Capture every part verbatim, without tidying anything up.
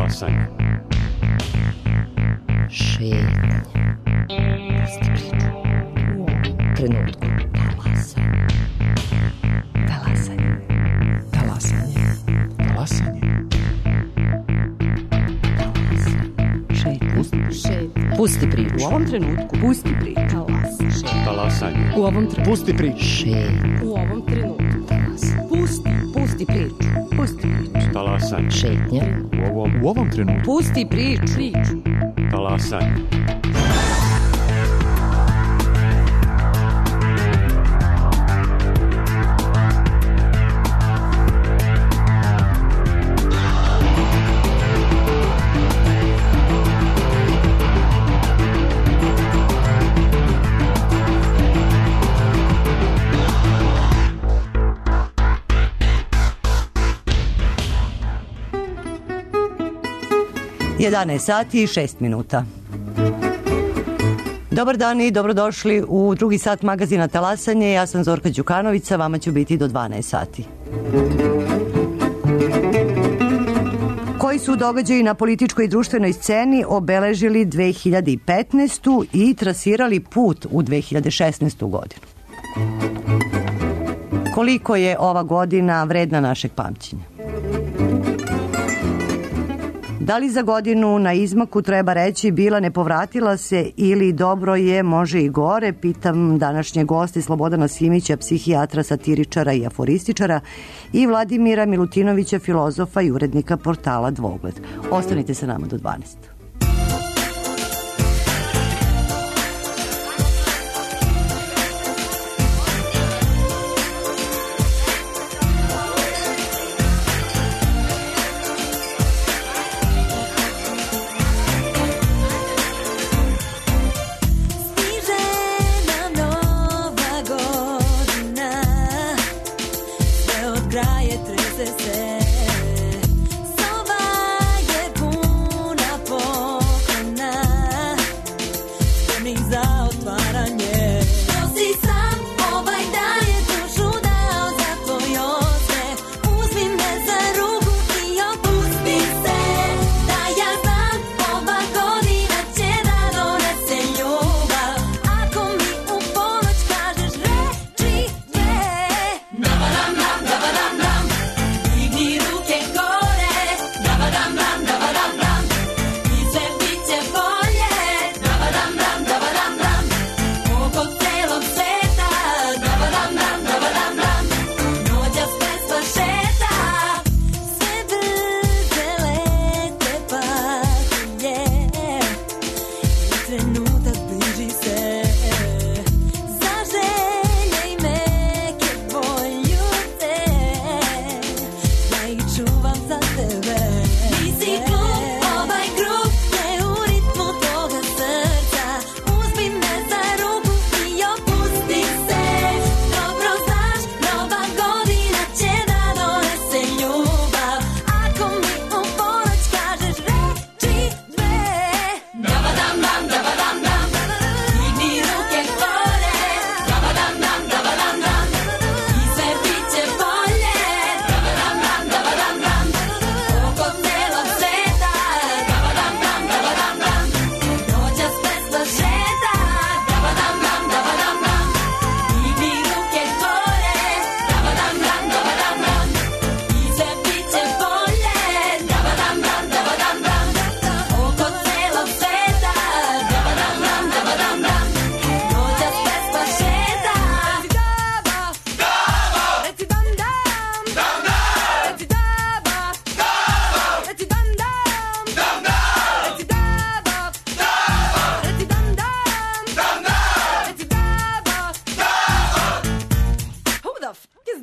Talasanje. Šetnja. Pusti priču. U ovom trenutku. Talasanje. Talasanje. Talasanje. Talasanje. Šetnja. Pusti, Šetnja. Pusti priču. u ovom trenutku. Pusti priču. Talasanje. Talasanje. U ovom trenutku. Pusti priču. Šetnja. U ovom trenutku. Talasanje. Pusti. Pusti priču. Pusti priču. Talasanje. Šetnja. U ovom, U ovom trenutku. Pusti priču. Priču. talasanje. jedanaest sati i šest minuta. Dobar dan i dobrodošli u drugi sat magazina Talasanje. Ja sam Zorka Đukanović, sa vama ću biti do dvanaest sati. Koji su događaji na političkoj i društvenoj sceni obeležili dve hiljade petnaestu. i trasirali put u dve hiljade šesnaestu. godinu? Koliko je ova godina vredna našeg pamćenja? Da li za godinu na izmaku treba reći bila ne povratila se ili dobro je, može i gore? Pitam današnje goste Slobodana Simića, psihijatra, satiričara i aforističara, i Vladimira Milutinovića, filozofa i urednika portala Dvogled. Ostanite sa nama do dvanaest.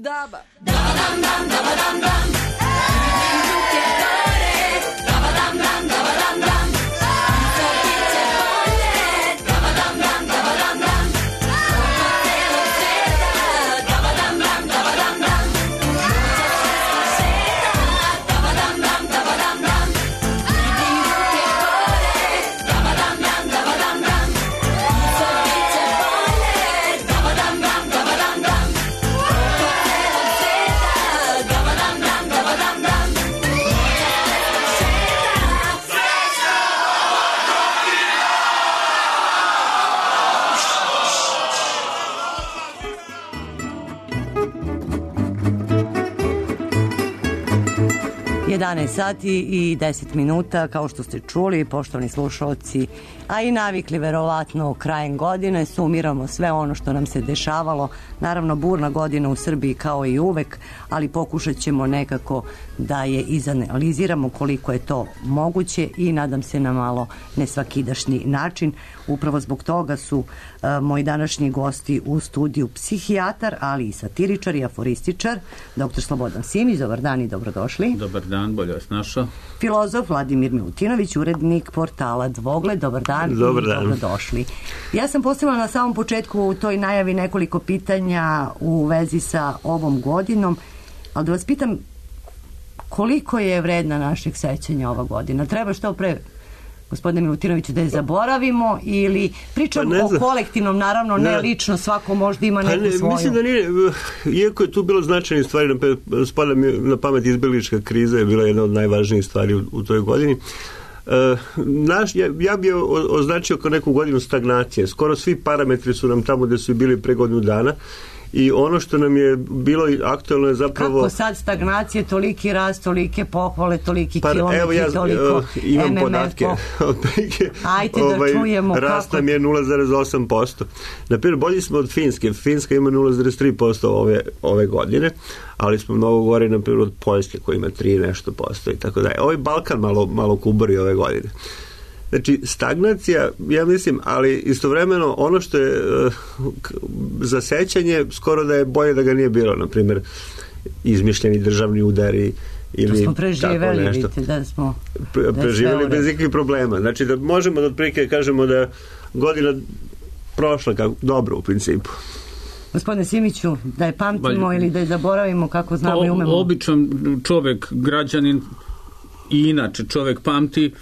Dam jedanaest sati i deset minuta, kao što ste čuli, poštovani slušalci, a i navikli verovatno krajem godine, sumiramo sve ono što nam se dešavalo. Naravno, burna godina u Srbiji kao i uvek, ali pokušat ćemo nekako da je izanaliziramo koliko je to moguće i nadam se na malo nesvakidašnji način. Upravo zbog toga su uh, moji današnji gosti u studiju psihijatar, ali i satiričar i aforističar, doktor Slobodan Simić. Dobar dan i dobrodošli. Dobar dan, bolje vas našao. Filozof Vladimir Milutinović, urednik portala Dvogled. Dobar dan, Dobar i dan. dobrodošli. Ja sam postavila na samom početku u toj najavi nekoliko pitanja u vezi sa ovom godinom, ali da vas pitam koliko je vredna našeg sećanja ova godina? Treba što pre, gospodine Milutinoviću, da je zaboravimo ili pričam pa o kolektivnom, naravno ne, ne lično, svako možda ima neku pa ne, svoju. Mislim da nije, iako je tu bilo značajnih stvari, spada mi na pamet izbjeglička kriza je bila jedna od najvažnijih stvari u, u toj godini. Uh, naš, ja, ja bi označio kao neku godinu stagnacije. Skoro svi parametri su nam tamo gde su bili pre godinu dana i ono što nam je bilo aktualno je zapravo... Kako sad stagnacije, toliki rast, tolike pohvale, toliki pa, kilometri, evo ja, toliko uh, imam M M F. podatke. Ajde da ovaj, čujemo rast kako... nam je nula zarez osam posto. Naprimjer, bolji smo od Finske. Finska ima nula zarez tri posto ove, ove godine, ali smo mnogo gore, naprimjer, od Poljske koja ima tri nešto posto i tako dalje. Ovaj Balkan malo, malo kubori ove godine. Znači, stagnacija, ja mislim, ali istovremeno ono što je uh, za sećanje, skoro da je bolje da ga nije bilo, na primjer, izmišljeni državni udari ili to smo preživeli, tako nešto. vidite da smo Pre, preživeli bez ikakvih problema. Znači, da možemo da otprilike kažemo da godina prošla kako, dobro u principu. Gospodine Simiću, da je pamtimo Ba, ili da je zaboravimo kako znamo o, i umemo? Običan čovek, građanin i inače čovek pamti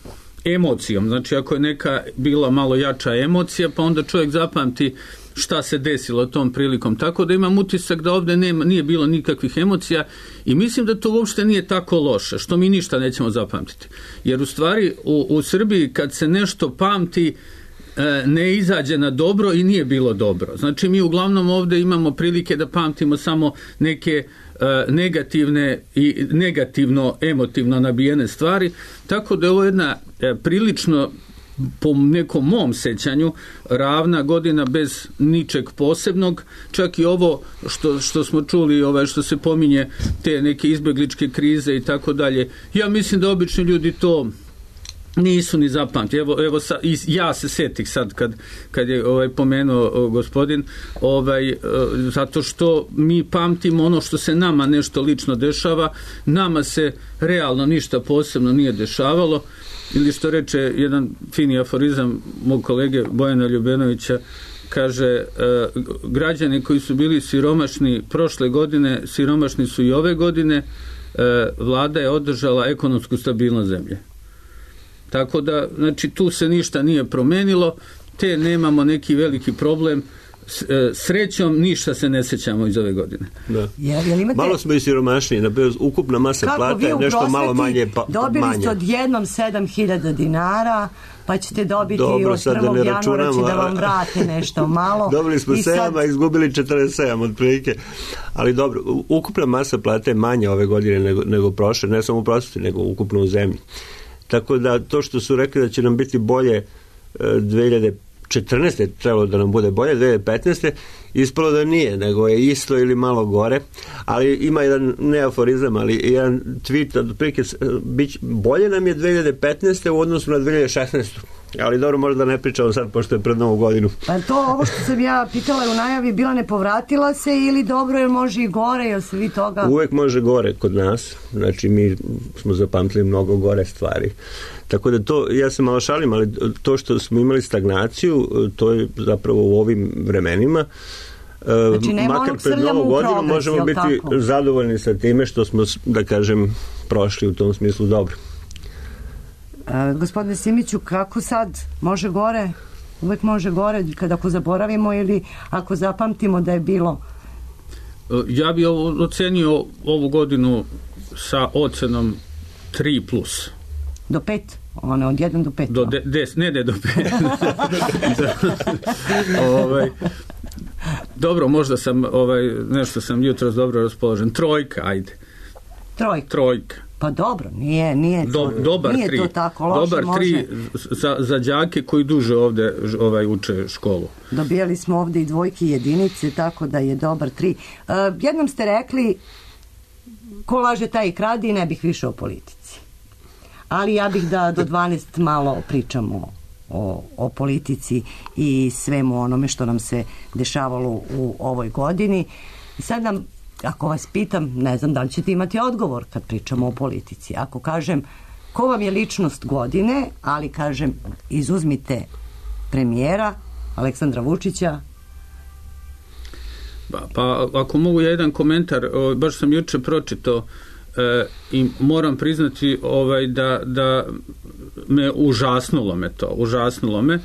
emocijom. Znači, ako je neka bila malo jača emocija, pa onda čovjek zapamti šta se desilo tom prilikom. Tako da imam utisak da ovdje nema, nije bilo nikakvih emocija i mislim da to uopšte nije tako loše, što mi ništa nećemo zapamtiti. Jer u stvari u, u Srbiji kad se nešto pamti ne izađe na dobro i nije bilo dobro. Znači, mi uglavnom ovdje imamo prilike da pamtimo samo neke negativne i negativno emotivno nabijene stvari, tako da je ovo jedna prilično, po nekom mom sećanju, ravna godina bez ničeg posebnog. Čak i ovo što, što smo čuli, ovaj, što se pominje te neke izbjegličke krize i tako dalje, ja mislim da obični ljudi to nisu ni zapamti. Evo, evo sa, ja se setih sad kad, kad je ovaj, pomenuo o, gospodin, ovaj, zato što mi pamtimo ono što se nama nešto lično dešava, nama se realno ništa posebno nije dešavalo, ili što reče jedan fini aforizam mog kolege Bojana Ljubenovića, kaže, građani koji su bili siromašni prošle godine, siromašni su i ove godine, vlada je održala ekonomsku stabilnost zemlje. Tako da, znači, tu se ništa nije promenilo, te nemamo neki veliki problem. Srećom, ništa se ne sećamo iz ove godine. Da. Jel, jel imate... Malo smo i siromašniji, naprijed, ukupna masa kako plata je nešto malo manje pa, dobili manje. ste odjednom sedam hiljada dinara, pa ćete dobiti Dobro, od prvog da januara će da vam vrate nešto malo. Dobili smo I sedam, sad... a izgubili četrdeset sedam otprilike. Ali dobro, ukupna masa plata je manja ove godine nego, nego prošle, ne samo u prosveti, nego ukupno u zemlji. Tako da to što su rekli da će nam biti bolje dve hiljade četrnaeste trebalo da nam bude bolje, dve hiljade petnaeste ispalo da nije, nego je isto ili malo gore, ali ima jedan neaforizam, ali jedan tweet od prilike, bolje nam je dve hiljade petnaeste u odnosu na dve hiljade šesnaeste ali dobro, možda ne pričamo sad pošto je pred novu godinu. Pa to ovo što sam ja pitala u najavi, bila ne povratila se ili dobro, jer može i gore, jel se vi toga... Uvek može gore kod nas, znači mi smo zapamtili mnogo gore stvari. Tako da to, ja se malo šalim, ali to što smo imali stagnaciju, to je zapravo u ovim vremenima. Znači, makar pred novu godinu progres, možemo biti tako zadovoljni sa time što smo, da kažem, prošli u tom smislu dobro. E, gospodine Simiću, kako sad? Može gore? Uvek može gore, kada ako zaboravimo ili ako zapamtimo da je bilo? Ja bih ocenio ovu godinu sa ocenom tri plus. Do pet? Ono, od jedan do pet? Do de, des, ne, ne, do pet. ovaj, dobro, možda sam, ovaj, nešto sam jutros dobro raspoložen. Trojka, ajde. Trojka? Trojka. Pa dobro, nije, nije, to, Do, dobar nije tri. to tako loše. Dobar može... tri za, za đake koji duže ovde ovaj, uče školu. Dobijali smo ovde i dvojke i jedinice, tako da je dobar tri. Uh, jednom ste rekli, ko laže taj i krade i ne bih više o politici. Ali ja bih da do dvanaest malo pričamo o, o politici i svemu onome što nam se dešavalo u ovoj godini. Sad nam, ako vas pitam, ne znam da li ćete imati odgovor kad pričamo o politici. Ako kažem, ko vam je ličnost godine, ali kažem, izuzmite premijera Aleksandra Vučića. Pa, pa ako mogu ja jedan komentar, o, baš sam juče pročitao e, i moram priznati ovaj, da, da me užasnulo me to, užasnulo me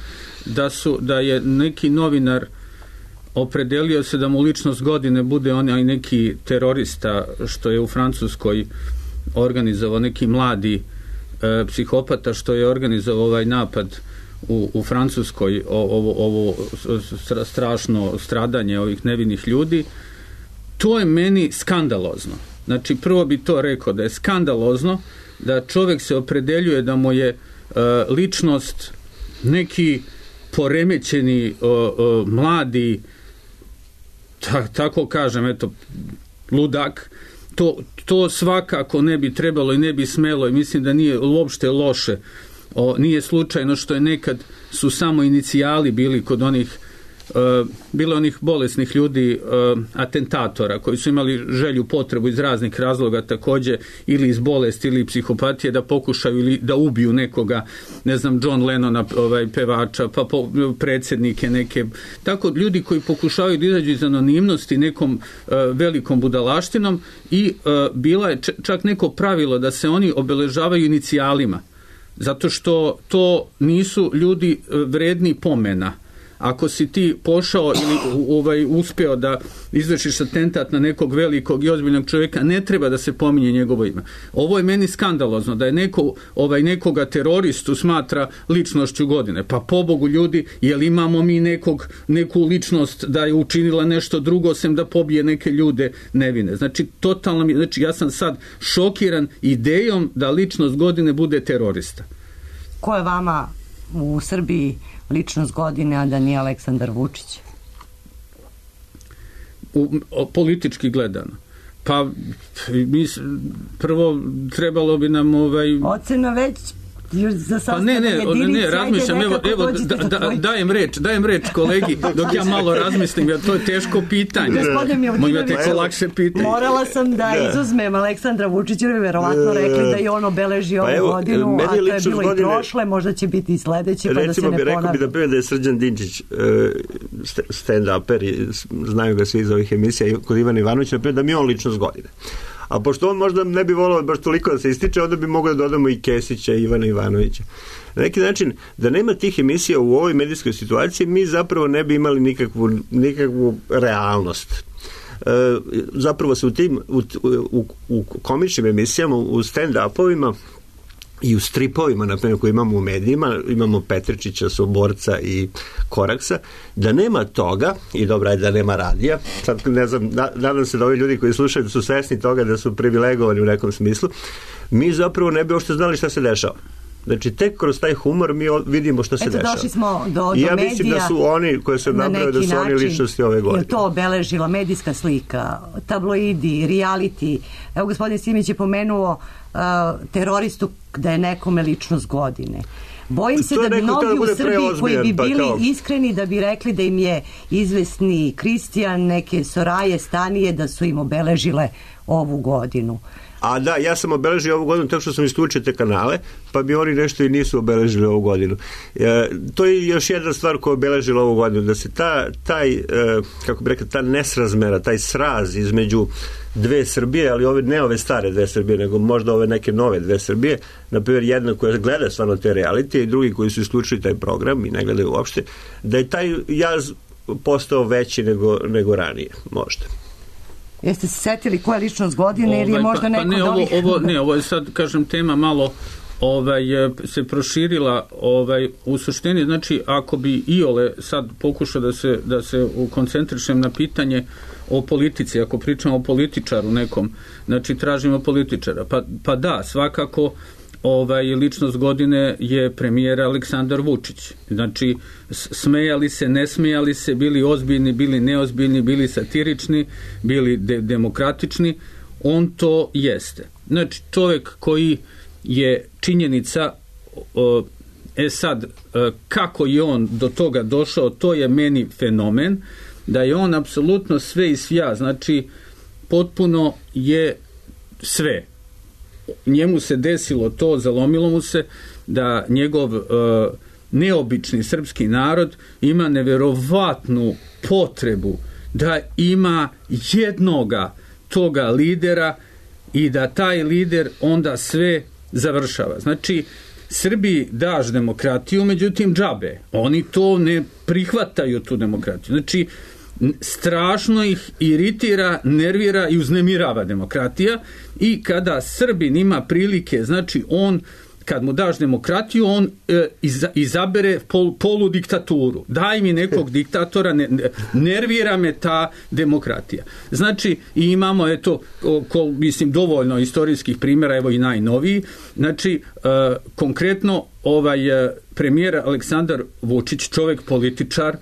da, su, da je neki novinar opredelio se da mu ličnost godine bude onaj neki terorista što je u Francuskoj organizovao, neki mladi e, psihopata što je organizovao ovaj napad u, u Francuskoj, ovo, ovo strašno stradanje ovih nevinih ljudi. To je meni skandalozno. Znači, prvo bi to rekao da je skandalozno da čovjek se opredeljuje da mu je e, ličnost neki poremećeni o, o, mladi ta, tako kažem, eto, ludak, to, to svakako ne bi trebalo i ne bi smelo i mislim da nije uopšte loše. O, nije slučajno što je nekad su samo inicijali bili kod onih uh, bilo onih bolesnih ljudi, uh, atentatora koji su imali želju, potrebu iz raznih razloga također ili iz bolesti ili psihopatije da pokušaju ili da ubiju nekoga, ne znam, John Lennona, ovaj, pevača, pa po, predsjednike neke, tako ljudi koji pokušavaju da izađu iz anonimnosti nekom uh, velikom budalaštinom i uh, bila je čak neko pravilo da se oni obeležavaju inicijalima. Zato što to nisu ljudi vredni pomena. Ako si ti pošao ili ovaj, uspeo da izvršiš atentat na nekog velikog i ozbiljnog čovjeka, ne treba da se pominje njegovo ime. Ovo je meni skandalozno, da je neko, ovaj, nekoga teroristu smatra ličnošću godine. Pa pobogu ljudi, jel imamo mi nekog, neku ličnost da je učinila nešto drugo sem da pobije neke ljude nevine. Znači, totalno mi, znači ja sam sad šokiran idejom da ličnost godine bude terorista. Ko je vama u Srbiji ličnost godine, a da nije Aleksandar Vučić? U, o, politički gledano. Pa, mi, prvo trebalo bi nam ovaj... Ocena već za pa ne, ne, jedinici, ne, razmišljam, evo, evo da, da, dajem reč, dajem reč kolegi, dok ja malo razmislim, jer to je teško pitanje. Moja teko lakše pitanje. Morala sam da izuzmem Aleksandra Vučića, jer verovatno rekli da je on obeleži ovu pa evo, godinu, a to je bilo godine, i prošle, možda će biti i sledeće, pa da se ne ponavlja. Recimo bi rekao bi da prije da je Srđan Dinčić stand-uper, znaju ga svi iz ovih emisija, kod Ivana Ivanovića, da mi je on ličnost godine. A pošto on možda ne bi volao baš toliko da se ističe, onda bi mogli da dodamo i Kesića i Ivana Ivanovića. Na neki način, da nema tih emisija u ovoj medijskoj situaciji, mi zapravo ne bi imali nikakvu, nikakvu realnost. E, zapravo se u tim u, u, u komičnim emisijama, u stand-upovima i u stripovima, na primjer, koji imamo u medijima, imamo Petričića, Soborca i Koraksa, da nema toga, i dobra je da nema radija, sad ne znam, nadam se da ovi ljudi koji slušaju da su svesni toga da su privilegovani u nekom smislu, mi zapravo ne bi uopšte znali šta se dešava. Znači, tek kroz taj humor mi vidimo što se Eto, dešava. Došli smo do, do I ja medija. mislim da su oni koji se napravili da su način, oni ličnosti ove godine. Je to obeležila medijska slika, tabloidi, reality. Evo, gospodin Simić je pomenuo uh, teroristu da je nekome ličnost godine. Bojim se da bi mnogi u Srbiji koji bi bili pa iskreni da bi rekli da im je izvesni Kristijan, neke Soraje, Stanije, da su im obeležile ovu godinu. A da, ja sam obeležio ovu godinu tako što sam isključio te kanale, pa bi oni nešto i nisu obeležili ovu godinu. E, to je još jedna stvar koja je obeležila ovu godinu, da se ta, taj, e, kako bi rekao, ta nesrazmera, taj sraz između dve Srbije, ali ove, ne ove stare dve Srbije, nego možda ove neke nove dve Srbije, na primjer jedna koja gleda stvarno te reality i drugi koji su isključili taj program i ne gledaju uopšte, da je taj jaz postao veći nego, nego ranije, možda. Jeste se setili koja je ličnost godine ovaj, ili je možda pa, neko pa ne, od ovih... ovo, ovo, ne, ovo je sad, kažem, tema malo ovaj, se proširila ovaj, u suštini, znači ako bi iole sad pokušao da se, da se koncentrišem na pitanje o politici, ako pričamo o političaru nekom, znači tražimo političara, pa, pa da, svakako ovaj, ličnost godine je premijer Aleksandar Vučić. Znači, smejali se, ne smejali se, bili ozbiljni, bili neozbiljni, bili satirični, bili de- demokratični, on to jeste. Znači, čovjek koji je činjenica, o, e sad, kako je on do toga došao, to je meni fenomen, da je on apsolutno sve i svja, znači, potpuno je sve. Njemu se desilo to, zalomilo mu se da njegov e, neobični srpski narod ima neverovatnu potrebu da ima jednoga toga lidera i da taj lider onda sve završava. Znači, Srbiji daš demokratiju, međutim džabe. Oni to ne prihvataju, tu demokratiju. Znači, strašno ih iritira, nervira i uznemirava demokratija i kada Srbin ima prilike, znači on kad mu daš demokratiju, on e, iza, izabere pol, polu diktaturu. Daj mi nekog diktatora, ne, nervira me ta demokratija. Znači, i imamo, eto, ko, mislim, dovoljno istorijskih primjera, evo i najnoviji. Znači, e, konkretno, ovaj e, premijer Aleksandar Vučić, čovjek političar,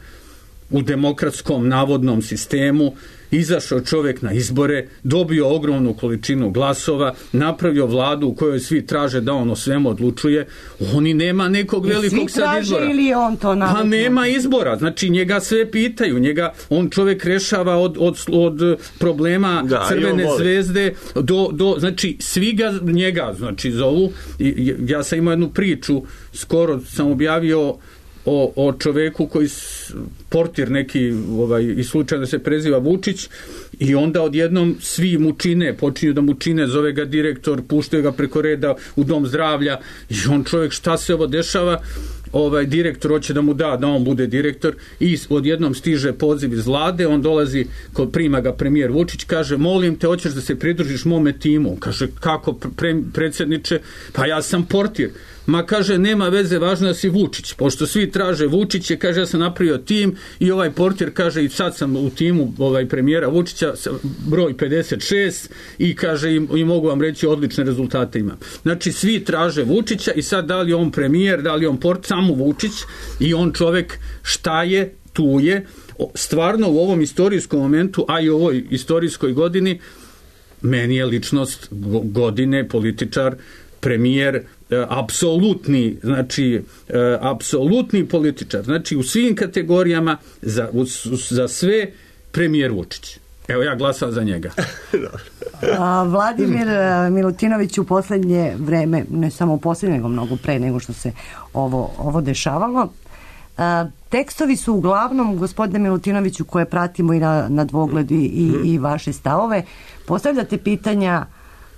u demokratskom navodnom sistemu, izašao čovjek na izbore, dobio ogromnu količinu glasova, napravio vladu u kojoj svi traže da on o svemu odlučuje, oni nema nekog velikog sad izbora. Ili on to pa nema izbora, znači njega sve pitaju, njega, on čovjek rešava od, od, od problema da, Crvene zvezde do, do, znači svi ga njega, znači zovu, i, ja sam imao jednu priču, skoro sam objavio O, o čoveku koji portir neki ovaj, i slučajno se preziva Vučić i onda odjednom svi mu čine, počinju da mu čine, zove ga direktor, puštaju ga preko reda u dom zdravlja i on čovjek, šta se ovo dešava, ovaj direktor hoće da mu da, da on bude direktor i odjednom stiže poziv iz vlade, on dolazi, kod prima ga premijer Vučić, kaže, molim te, hoćeš da se pridružiš mome timu? Kaže, kako pre, predsjedniče? Pa ja sam portir. Ma kaže, nema veze, važno da si Vučić, pošto svi traže Vučiće, kaže, ja sam napravio tim i ovaj portir kaže, i sad sam u timu ovaj premijera Vučića, broj pedeset šest i kaže, i, i mogu vam reći, odlične rezultate imam. Znači, svi traže Vučića i sad da li on premijer, da li on portir, samo Vučić i on čovjek šta je, tu je. Stvarno u ovom istorijskom momentu, a i u ovoj istorijskoj godini, meni je ličnost godine, političar, premijer, apsolutni, znači apsolutni političar, znači u svim kategorijama za, za sve premijer Vučić. Evo, ja glasam za njega. A, Vladimir Milutinović u posljednje vreme, ne samo u posljednje, nego mnogo pre nego što se ovo, ovo dešavalo, a, tekstovi su uglavnom, gospodine Milutinoviću, koje pratimo i na, na dvogled i, i, i vaše stavove, postavljate pitanja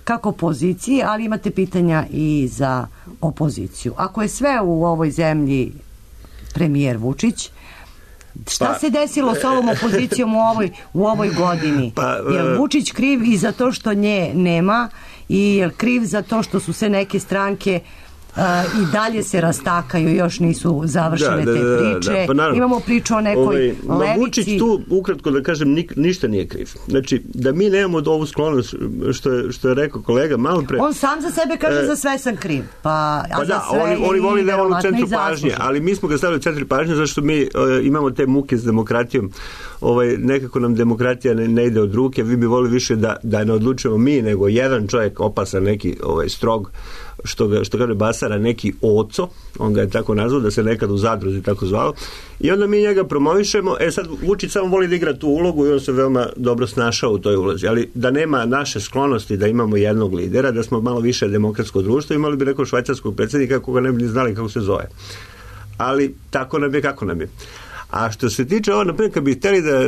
kako poziciji, ali imate pitanja i za opoziciju. Ako je sve u ovoj zemlji premijer Vučić, šta pa, se desilo s ovom opozicijom u ovoj, u ovoj godini? Pa, je Vučić kriv i za to što nje nema i je kriv za to što su se neke stranke Uh, i dalje se rastakaju, još nisu završene da, da, te priče. Da, da, pa naravno, imamo priču o nekoj ovaj, levici. Vučić tu, ukratko da kažem, nik, ništa nije kriv. Znači, da mi nemamo ovu sklonost, što je, što je rekao kolega malo pre. On sam za sebe kaže, e, za sve sam kriv. Pa, pa a da, za sve oni, oni voli da je on u centru pažnje, ali mi smo ga stavili u centru pažnje zašto mi uh, imamo te muke s demokratijom. Ovaj, nekako nam demokratija ne, ne ide od ruke, vi bi volili više da, da ne odlučujemo mi, nego jedan čovjek opasan, neki ovaj, strog, što ga, što kaže Basara, neki oco, on ga je tako nazvao, da se nekad u Zadruzi tako zvao, i onda mi njega promovišemo. E sad Vučić samo voli da igra tu ulogu i on se veoma dobro snašao u toj ulozi, ali da nema naše sklonosti da imamo jednog lidera, da smo malo više demokratsko društvo, imali bi nekog švajcarskog predsjednika koga ne bi ni znali kako se zove, ali tako nam je kako nam je. A što se tiče ovo, naprimjer, kad bi hteli da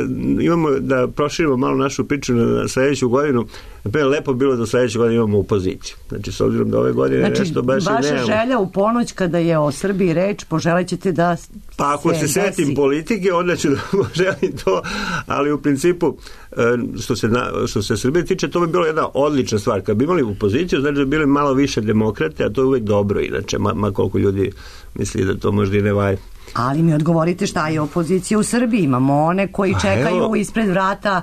imamo, da proširimo malo našu priču na sledeću godinu, naprimjer, lepo bilo da sledeću godinu imamo opoziciju. Znači, s obzirom da ove godine znači, nešto baš i nemamo. Vaša želja u ponoć kada je o Srbiji reč, poželećete da pa ako se, se setim politike, onda ću da poželim to, ali u principu, što se, na, što se Srbije tiče, to bi bilo jedna odlična stvar. Kad bi imali opoziciju, znači da bi bili malo više demokrate, a to je uvek dobro, inače, ma, ma koliko ljudi misli da to možda i ne vaje. Ali mi odgovorite šta je opozicija u Srbiji. Imamo one koji čekaju evo, ispred vrata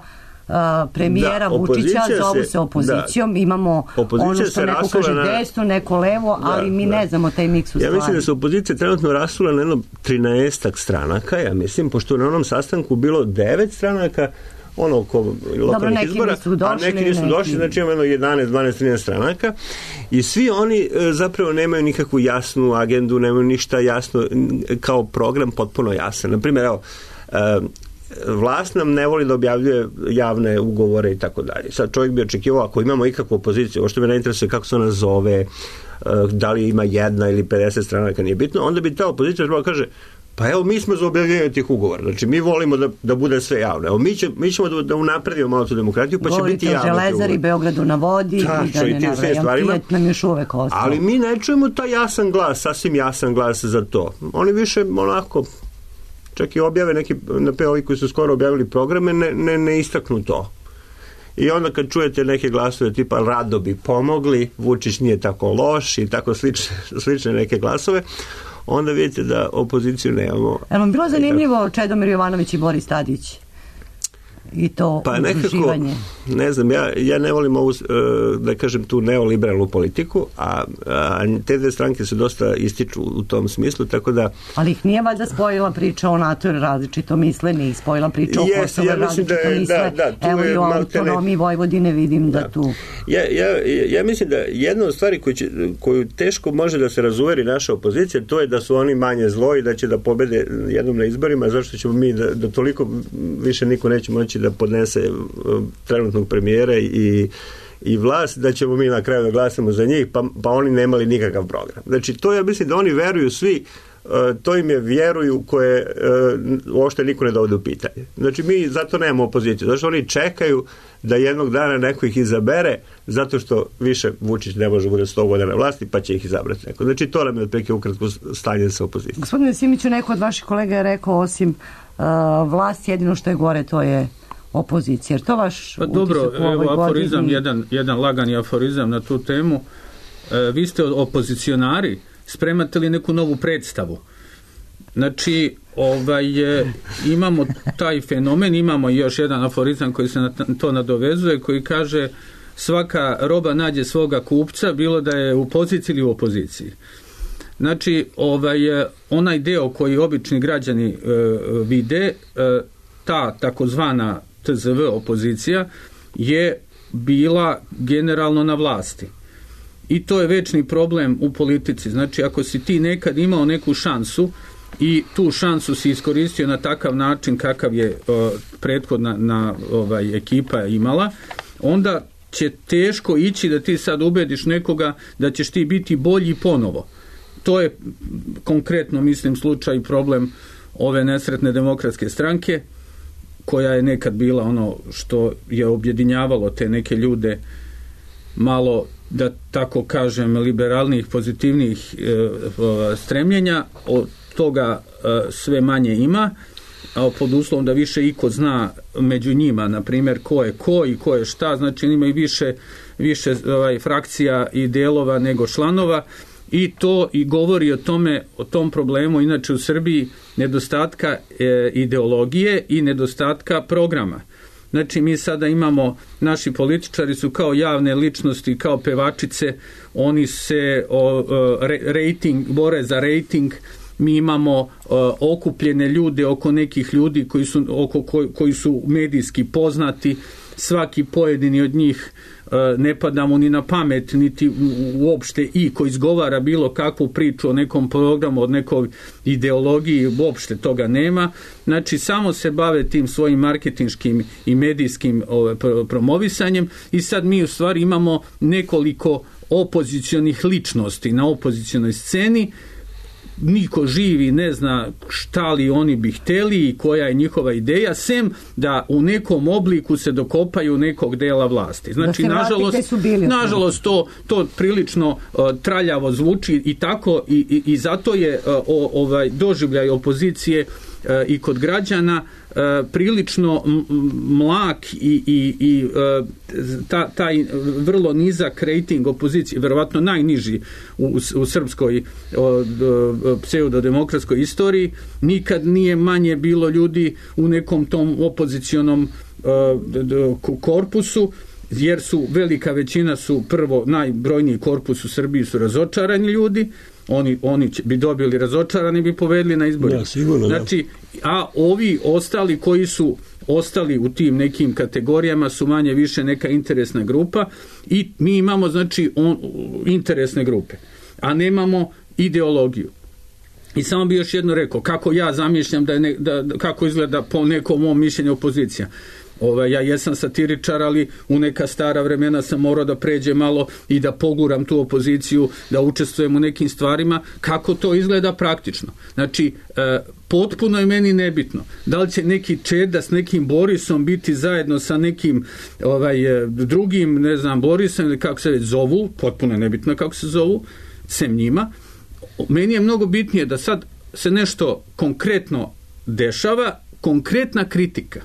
uh, premijera da, Vučića, zovu se, se opozicijom. Da, imamo ono što neko kaže na, desno, neko levo, da, ali mi da. ne znamo taj miks u ja stvari. Mislim da se opozicija trenutno rasula na jedno trinaestak stranaka, ja mislim, pošto na onom sastanku bilo devet stranaka, ono oko lokalnih izbora, a neki nisu neki... došli, znači imamo jedanaest, dvanaest, trinaest stranaka i svi oni e, zapravo nemaju nikakvu jasnu agendu, nemaju ništa jasno, kao program potpuno jasan. Naprimjer, evo, e, vlast nam ne voli da objavljuje javne ugovore i tako dalje. Sad čovjek bi očekivao, ako imamo ikakvu opoziciju, ovo što me ne interesuje kako se ona zove, e, da li ima jedna ili pedeset stranaka, nije bitno, onda bi ta opozicija trebala kaže pa evo, mi smo za objavljanje tih ugovora. Znači, mi volimo da, da bude sve javno. Evo, mi, će, mi ćemo da, da unapredimo malo tu demokratiju, pa govorite će biti javno. Govorite o Železari, Beogradu na vodi Ta, i da ne navrajam. Fiat nam još uvek ostao. Ali mi ne čujemo taj jasan glas, sasvim jasan glas za to. Oni više, onako, čak i objave neki, na ovi koji su skoro objavili programe, ne, ne, ne istaknu to. I onda kad čujete neke glasove tipa rado bi pomogli, Vučić nije tako loš i tako slične, slične neke glasove, onda vidite da opoziciju nemamo. Evo vam bilo zanimljivo Čedomir Jovanović i Boris Tadić? I to pa nekako, ne znam, ja, ja ne volim ovu, da kažem, tu neoliberalnu politiku, a, a te dve stranke se dosta ističu u tom smislu, tako da... Ali ih nije valjda spojila priča o NATO različito misle, nije spojila priča o Kosovo ja različito da je, misle. Da, da, evo i o autonomiji Vojvodine vidim da, da tu... Ja, ja, ja mislim da jedna od stvari koju, će, koju teško može da se razuveri naša opozicija, to je da su oni manje zlo i da će da pobede jednom na izborima, zašto ćemo mi da, da toliko više niko neće moći da podnese trenutnog premijera i, i vlast, da ćemo mi na kraju da glasamo za njih, pa, pa oni nemali nikakav program. Znači, to ja mislim da oni veruju svi, uh, to im je vjeruju koje uh, uopšte niko ne dovode u pitanje. Znači, mi zato nemamo opoziciju. Znači, oni čekaju da jednog dana neko ih izabere, zato što više Vučić ne može bude sto godina na vlasti, pa će ih izabrati neko. Znači, to nam je otprilike ukratko stanje sa opozicijom. Gospodine Simiću, neko od vaših kolega je rekao, osim uh, vlast, jedino što je gore, to je opozicija. Jer to vaš pa dobro, evo aforizam, godini... jedan, jedan lagani aforizam na tu temu. E, vi ste opozicionari, spremate li neku novu predstavu? Znači, ovaj, e, imamo taj fenomen, imamo još jedan aforizam koji se na to nadovezuje, koji kaže svaka roba nađe svoga kupca, bilo da je u poziciji ili u opoziciji. Znači, ovaj, onaj deo koji obični građani e, vide, e, ta takozvana T Z V opozicija je bila generalno na vlasti. I to je večni problem u politici. Znači, ako si ti nekad imao neku šansu i tu šansu si iskoristio na takav način kakav je uh, prethodna na, ovaj, ekipa imala, onda će teško ići da ti sad ubediš nekoga da ćeš ti biti bolji ponovo. To je konkretno, mislim, slučaj i problem ove nesretne demokratske stranke, koja je nekad bila ono što je objedinjavalo te neke ljude malo, da tako kažem, liberalnih, pozitivnih e, stremljenja. Od toga e, sve manje ima, a pod uslovom da više iko zna među njima, na primjer, ko je ko i ko je šta, znači ima i više, više ovaj, frakcija i delova nego članova. I to i govori o tome, o tom problemu, inače u Srbiji, nedostatka e, ideologije i nedostatka programa. Znači, mi sada imamo, naši političari su kao javne ličnosti, kao pevačice, oni se o, o, re, rating, bore za rating, mi imamo o, okupljene ljude oko nekih ljudi koji su, oko, koji, koji su medijski poznati, svaki pojedini od njih ne pada mu ni na pamet, niti uopšte i ko izgovara bilo kakvu priču o nekom programu, od nekoj ideologiji, uopšte toga nema. Znači, samo se bave tim svojim marketinškim i medijskim ove, promovisanjem i sad mi u stvari imamo nekoliko opozicionih ličnosti na opozicionoj sceni niko živi ne zna šta li oni bi hteli i koja je njihova ideja, sem da u nekom obliku se dokopaju nekog dela vlasti. Znači, nažalost, nažalost to, to prilično uh, traljavo zvuči i tako i, i, i zato je uh, o, ovaj doživljaj opozicije uh, i kod građana uh, prilično mlak i, i, i uh, ta, taj vrlo nizak rating opozicije, verovatno najniži u, u srpskoj pseudodemokratskoj istoriji. Nikad nije manje bilo ljudi u nekom tom opozicionom uh, korpusu, jer su velika većina su prvo najbrojniji korpus u Srbiji su razočarani ljudi. Oni, oni bi dobili razočarani, bi povedli na izbore. Ja, sigurno, znači, a ovi ostali koji su ostali u tim nekim kategorijama su manje više neka interesna grupa i mi imamo znači on, interesne grupe, a nemamo ideologiju. I samo bi još jedno rekao, kako ja zamišljam da je ne, da, kako izgleda po nekom mom mišljenju opozicija. Ove, ja jesam satiričar, ali u neka stara vremena sam morao da pređe malo i da poguram tu opoziciju, da učestvujem u nekim stvarima. Kako to izgleda praktično? Znači, e, potpuno je meni nebitno da li će neki Čeda s nekim Borisom biti zajedno sa nekim ovaj, drugim, ne znam, Borisom ili kako se već zovu, potpuno je nebitno kako se zovu, sem njima. Meni je mnogo bitnije da sad se nešto konkretno dešava, konkretna kritika.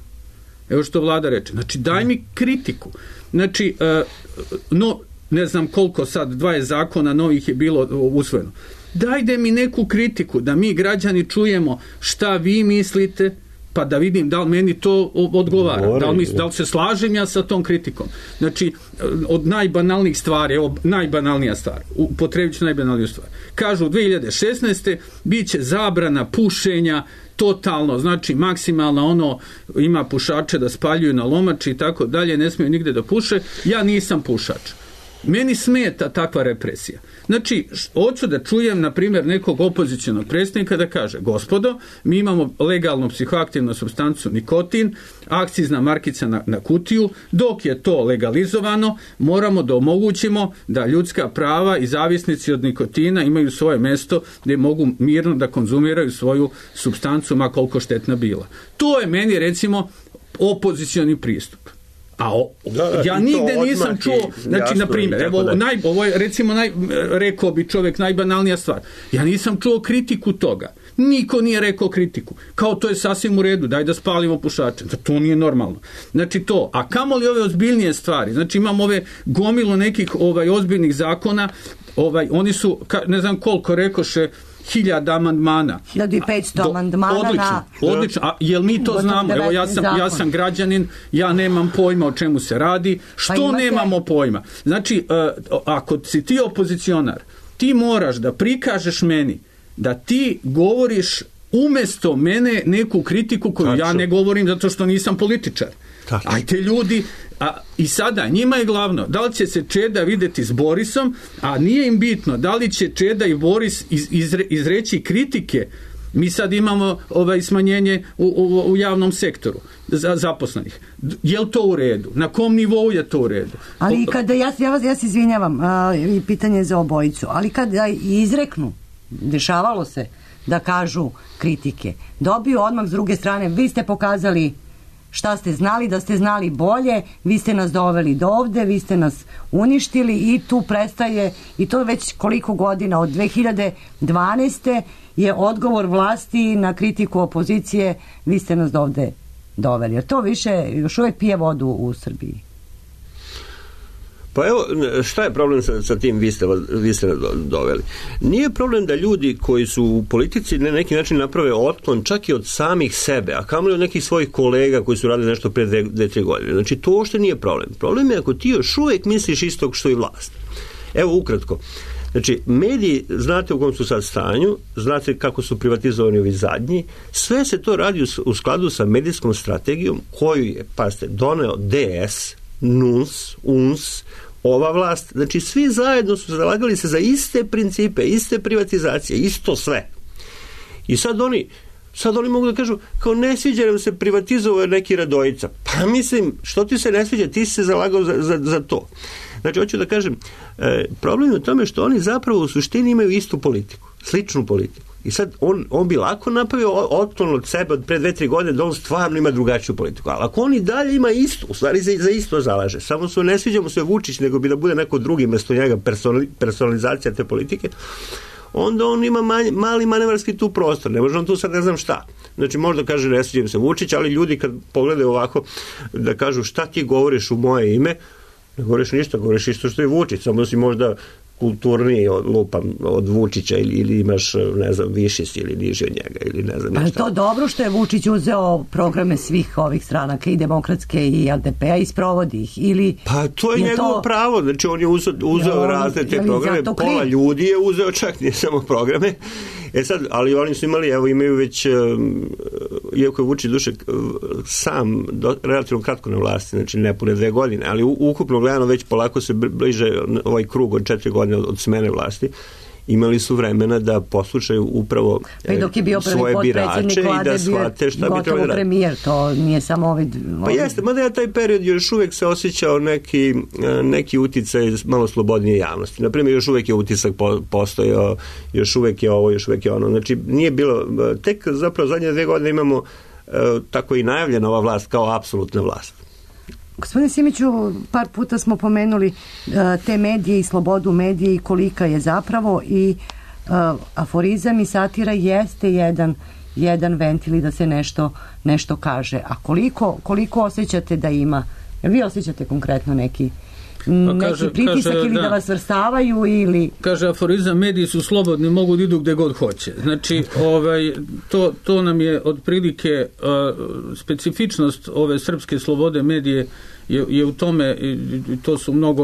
Evo što vlada reče. Znači, daj mi kritiku. Znači, uh, no, ne znam koliko sad, dvadeset zakona novih je bilo usvojeno. Dajde mi neku kritiku, da mi građani čujemo šta vi mislite, pa da vidim da li meni to odgovara. Da li, mi, da li se slažem ja sa tom kritikom. Znači, od najbanalnijih stvari, evo, najbanalnija stvar, upotrebit ću najbanalniju stvar. Kažu, dve hiljade šesnaeste bit će zabrana pušenja totalno, znači maksimalno ono, ima pušače da spaljuju na lomači i tako dalje, ne smiju nigde da puše. Ja nisam pušač. Meni smeta takva represija. Znači, hoću da čujem, na primjer, nekog opozicionog predstavnika da kaže, gospodo, mi imamo legalnu psihoaktivnu supstancu nikotin, akcizna markica na, na kutiju, dok je to legalizovano, moramo da omogućimo da ljudska prava i zavisnici od nikotina imaju svoje mesto gdje mogu mirno da konzumiraju svoju supstancu, ma koliko štetna bila. To je meni, recimo, opozicioni pristup. A o, da, ja nigde nisam čuo, znači, na primjer, evo, naj, ovo je, recimo, naj, rekao bi čovjek, najbanalnija stvar. Ja nisam čuo kritiku toga. Niko nije rekao kritiku. Kao to je sasvim u redu, daj da spalimo pušače. To nije normalno. Znači to, a kamoli ove ozbiljnije stvari, znači imamo ove gomilu nekih ovaj, ozbiljnih zakona, ovaj, oni su, ne znam koliko rekoše, hiljada amandmana. hiljadu petsto amandmana. Odlično, na... odlično. A jel mi to znamo? Evo, ja sam, ja sam građanin, ja nemam pojma o čemu se radi. Što pa imate... nemamo pojma? Znači, uh, ako si ti opozicionar, ti moraš da prikažeš meni da ti govoriš umjesto mene neku kritiku koju Tačno. ja ne govorim zato što nisam političar. Tačno. Ajte ljudi, a, i sada njima je glavno da li će se Čeda videti s Borisom, a nije im bitno da li će Čeda i Boris iz, izre, izreći kritike. Mi sad imamo ovaj smanjenje u, u, u javnom sektoru za zaposlenih. Je li to u redu? Na kom nivou je to u redu? Ali kada, ja, ja, vas, ja se izvinjavam, a, i pitanje za obojicu, ali kada izreknu, dešavalo se da kažu kritike, dobiju odmah s druge strane, vi ste pokazali šta ste znali, da ste znali bolje, vi ste nas doveli do ovde, vi ste nas uništili i tu prestaje, i to već koliko godina, od dve hiljade dvanaeste je odgovor vlasti na kritiku opozicije, vi ste nas do ovde doveli. Jer to više još uvijek pije vodu u Srbiji. Pa evo, šta je problem sa, sa tim vi ste, vi ste doveli? Nije problem da ljudi koji su u politici na neki način naprave otklon čak i od samih sebe, a kamoli od nekih svojih kolega koji su radili nešto pre dve, dve, tri godine. Znači, to uopšte nije problem. Problem je ako ti još uvijek misliš istog što i vlast. Evo, ukratko. Znači, mediji, znate u kom su sad stanju, znate kako su privatizovani ovi zadnji, sve se to radi u, u skladu sa medijskom strategijom koju je, pazite, doneo D S, N U S, U N S, ova vlast. Znači, svi zajedno su zalagali se za iste principe, iste privatizacije, isto sve. I sad oni, sad oni mogu da kažu, kao ne sviđa nam se privatizovao neki Radojica. Pa mislim, što ti se ne sviđa, ti si se zalagao za, za, za to. Znači, hoću da kažem, e, problem je u tome što oni zapravo u suštini imaju istu politiku, sličnu politiku. I sad on, on bi lako napravio otklon od sebe od pre dve, tri godine da on stvarno ima drugačiju politiku. Ali ako on i dalje ima isto, u stvari za, za isto zalaže, samo se ne sviđa mu se Vučić, nego bi da bude neko drugi mesto njega, personalizacija te politike, onda on ima manj, mali manevarski tu prostor. Ne može on tu sad ne znam šta. Znači možda kaže ne sviđa se Vučić, ali ljudi kad pogledaju ovako da kažu šta ti govoriš u moje ime, ne govoriš ništa, govoriš isto što je Vučić, samo si možda kulturniji od, lupam, od Vučića ili, ili imaš, ne znam, viši si ili niži od njega ili ne znam. Ali to dobro što je Vučić uzeo programe svih ovih stranaka i demokratske i L D P-a i sprovodi ih ili... Pa to je, je njegovo to... pravo, znači on je uzeo, uzeo on, razne te programe, pola kriv? ljudi je uzeo, čak nije samo programe. E sad, ali oni su imali, evo imaju već, iako je Vučić duše sam do, relativno kratko na vlasti, znači nepune dve godine, ali ukupno gledano već polako se bliže ovaj krug od četiri godine od, od smene vlasti, imali su vremena da poslušaju upravo pa dok je bio svoje birače i da shvate šta bi trebali raditi. Premijer, to nije samo ovaj... Pa jeste, mada ja taj period još uvek se osjećao neki, neki uticaj malo slobodnije javnosti. Naprimjer, još uvek je utisak postojao, još uvek je ovo, još uvek je ono. Znači, nije bilo... Tek zapravo zadnje dve godine imamo tako i najavljena ova vlast kao apsolutna vlast. Gospodine Simiću, par puta smo pomenuli uh, te medije i slobodu medije i kolika je zapravo i uh, aforizam i satira jeste jedan, jedan ventil da se nešto, nešto kaže. A koliko, koliko osjećate da ima? Jel vi osjećate konkretno neki, neki kaže, pritisak kaže, ili da, da vas vrstavaju ili... Kaže aforizam, mediji su slobodni, mogu da idu gde god hoće. Znači, ovaj, to, to nam je otprilike uh, specifičnost ove srpske slobode medije je, je u tome, to su mnogo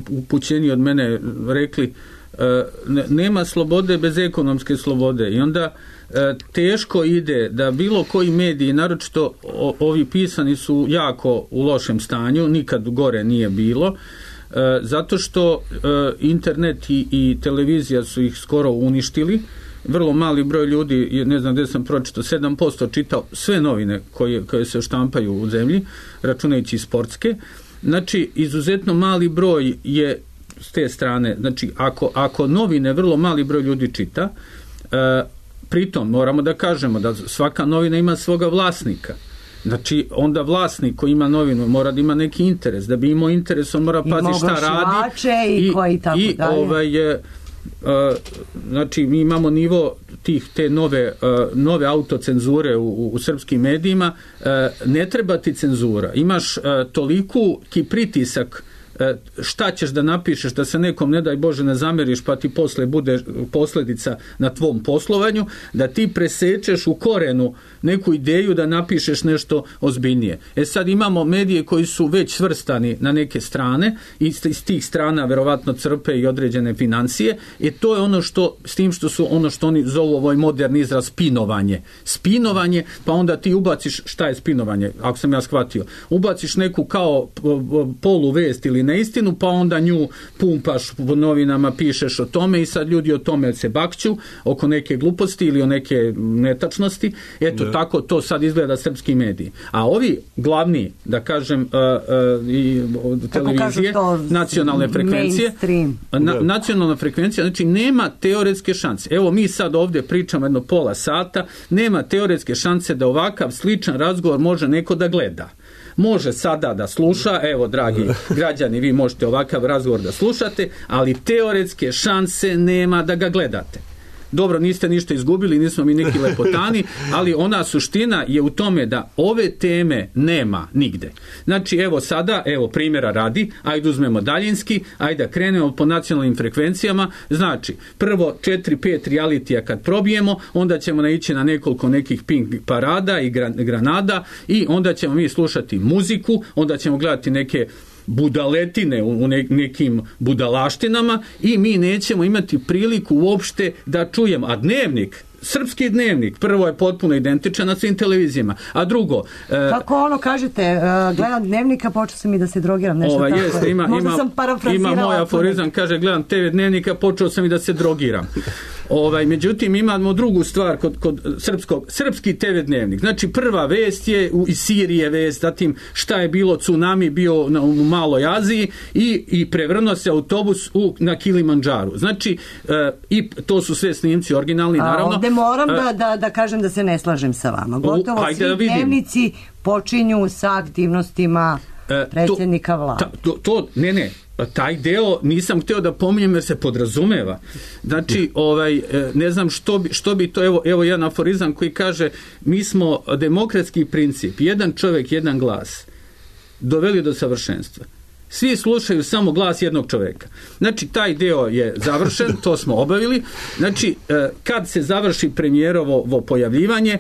upućeni od mene rekli, uh, ne, nema slobode bez ekonomske slobode i onda uh, teško ide da bilo koji mediji, naročito o, ovi pisani su jako u lošem stanju, nikad gore nije bilo, uh, zato što uh, internet i, i televizija su ih skoro uništili. Vrlo mali broj ljudi, ne znam gdje sam pročitao, sedam posto čitao sve novine koje, koje se štampaju u zemlji, računajući sportske. Znači, izuzetno mali broj je s te strane, znači, ako, ako novine vrlo mali broj ljudi čita, e, pritom moramo da kažemo da svaka novina ima svoga vlasnika. Znači, onda vlasnik koji ima novinu mora da ima neki interes. Da bi imao interes, on mora paziti šta radi. I, i koji tako i, dalje. Ovaj, je, Uh, znači mi imamo nivo tih te nove, uh, nove autocenzure u, u srpskim medijima, uh, ne treba ti cenzura, imaš uh, toliku ki pritisak šta ćeš da napišeš da se nekom ne daj Bože ne zameriš pa ti posle bude posljedica na tvom poslovanju, da ti presečeš u korenu neku ideju da napišeš nešto ozbiljnije. E sad imamo medije koji su već svrstani na neke strane i iz tih strana verovatno crpe i određene financije i to je ono što, s tim što su ono što oni zovu ovaj moderni izraz spinovanje. Spinovanje, pa onda ti ubaciš, šta je spinovanje, ako sam ja shvatio, ubaciš neku kao polu vest ili neistinu, pa onda nju pumpaš u novinama, pišeš o tome i sad ljudi o tome se bakću oko neke gluposti ili o neke netačnosti. Eto, da. Tako to sad izgleda srpski mediji. A ovi glavni, da kažem, uh, uh, i televizije, nacionalne frekvencije, na, nacionalna frekvencija, znači nema teoretske šanse. Evo mi sad ovdje pričamo jedno pola sata, nema teoretske šanse da ovakav sličan razgovor može neko da gleda. Može sada da sluša, evo dragi građani, vi možete ovakav razgovor da slušate, ali teoretske šanse nema da ga gledate. Dobro, niste ništa izgubili, nismo mi neki lepotani, ali ona suština je u tome da ove teme nema nigde. Znači, evo sada, evo primjera radi, ajde uzmemo daljinski, ajde da krenemo po nacionalnim frekvencijama, znači, prvo četiri pet realitija kad probijemo, onda ćemo naići na nekoliko nekih pink parada i granada i onda ćemo mi slušati muziku, onda ćemo gledati neke budaletine u nekim budalaštinama i mi nećemo imati priliku uopšte da čujemo. A dnevnik, srpski dnevnik, prvo je potpuno identičan na svim televizijama, a drugo... Kako ono kažete, gledam dnevnika, počeo sam i da se drogiram, nešto ova, tako. Jeste, ima, Možda ima, sam parafrazirala. Ima moj aforizam, kaže, gledam te ve dnevnika, počeo sam i da se drogiram. Ovaj, međutim, imamo drugu stvar kod, kod srpskog, srpski te ve dnevnik. Znači, prva vest je u, iz Sirije vest, zatim šta je bilo tsunami bio na, u Maloj Aziji i, i prevrnuo se autobus u, na Kilimandžaru. Znači, e, i to su sve snimci originalni, naravno. A ovde moram e, da, da, da kažem da se ne slažem sa vama. Gotovo u, svi da dnevnici počinju sa aktivnostima e, predsjednika vlade. To, to, ne, ne, taj deo nisam hteo da pominjem jer se podrazumeva. Znači, ovaj, ne znam što bi, što bi to, evo, evo jedan aforizam koji kaže, mi smo demokratski princip, jedan čovjek, jedan glas, doveli do savršenstva. Svi slušaju samo glas jednog čovjeka. Znači, taj deo je završen, to smo obavili. Znači, kad se završi premijerovo pojavljivanje,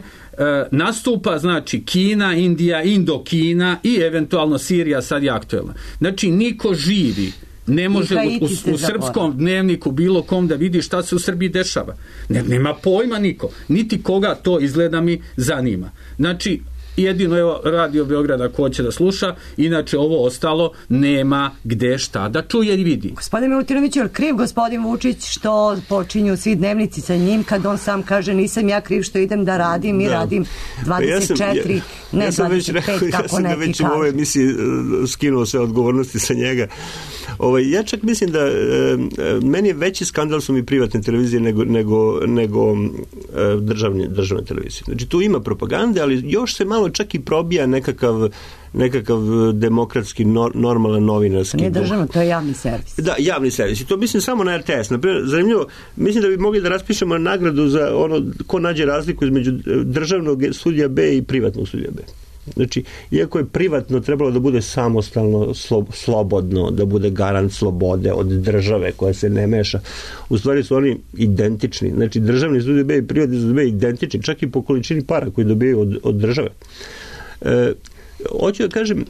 nastupa, znači, Kina, Indija, Indokina i eventualno Sirija, sad je aktuelna. Znači, niko živi ne može u, u, u srpskom dnevniku bilo kom da vidi šta se u Srbiji dešava. Ne, nema pojma niko. Niti koga to izgleda mi zanima. Znači, jedino evo Radio Beograda ko će da sluša, inače ovo ostalo nema gde šta da čuje i vidi. Gospodin Milutinović, je kriv gospodin Vučić što počinju svi dnevnici sa njim kad on sam kaže nisam ja kriv što idem da radim i da. radim dvadeset četiri, ja sam, ja, ne ja sam dvadeset pet, rekao, kako neki kažu. Ja sam ga već u ovoj emisiji skinuo sve odgovornosti sa njega. Ovaj, ja čak mislim da e, meni je veći skandal su mi privatne televizije nego, nego, nego e, državne, državne televizije. Znači tu ima propagande, ali još se malo čak i probija nekakav nekakav demokratski nor, normalan novinarski. Nije državno, to je javni servis. Da, javni servis. I to mislim samo na er te es. Naprimjer, zanimljivo, mislim da bi mogli da raspišemo nagradu za ono ko nađe razliku između državnog studija B i privatnog studija B. Znači, iako je privatno trebalo da bude samostalno, slo, slobodno, da bude garant slobode od države koja se ne meša, u stvari su oni identični. Znači, državni studij B i privatni studij B identični, čak i po količini para koji dobijaju od, od države. E, hoću da kažem,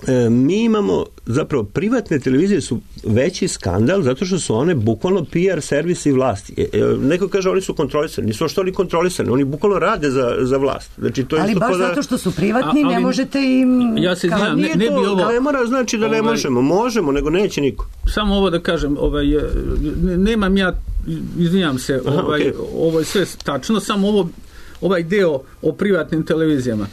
e, mi imamo, zapravo, privatne televizije su veći skandal zato što su one bukvalno P R servisi vlasti. E, e, neko kaže oni su kontrolisani, nisu što oni kontrolisani, oni bukvalno rade za, za vlast. Znači, to je ali baš da... zato što su privatni, a, ali, ne možete im... Ja se znam, ne, ne bi ovo... Ne mora znači da ne ovaj, možemo, možemo, nego neće niko. Samo ovo da kažem, ovaj, nemam ja, izvinjam se, ovaj, Aha, okay. ovo je sve tačno, samo ovo, ovaj deo o privatnim televizijama.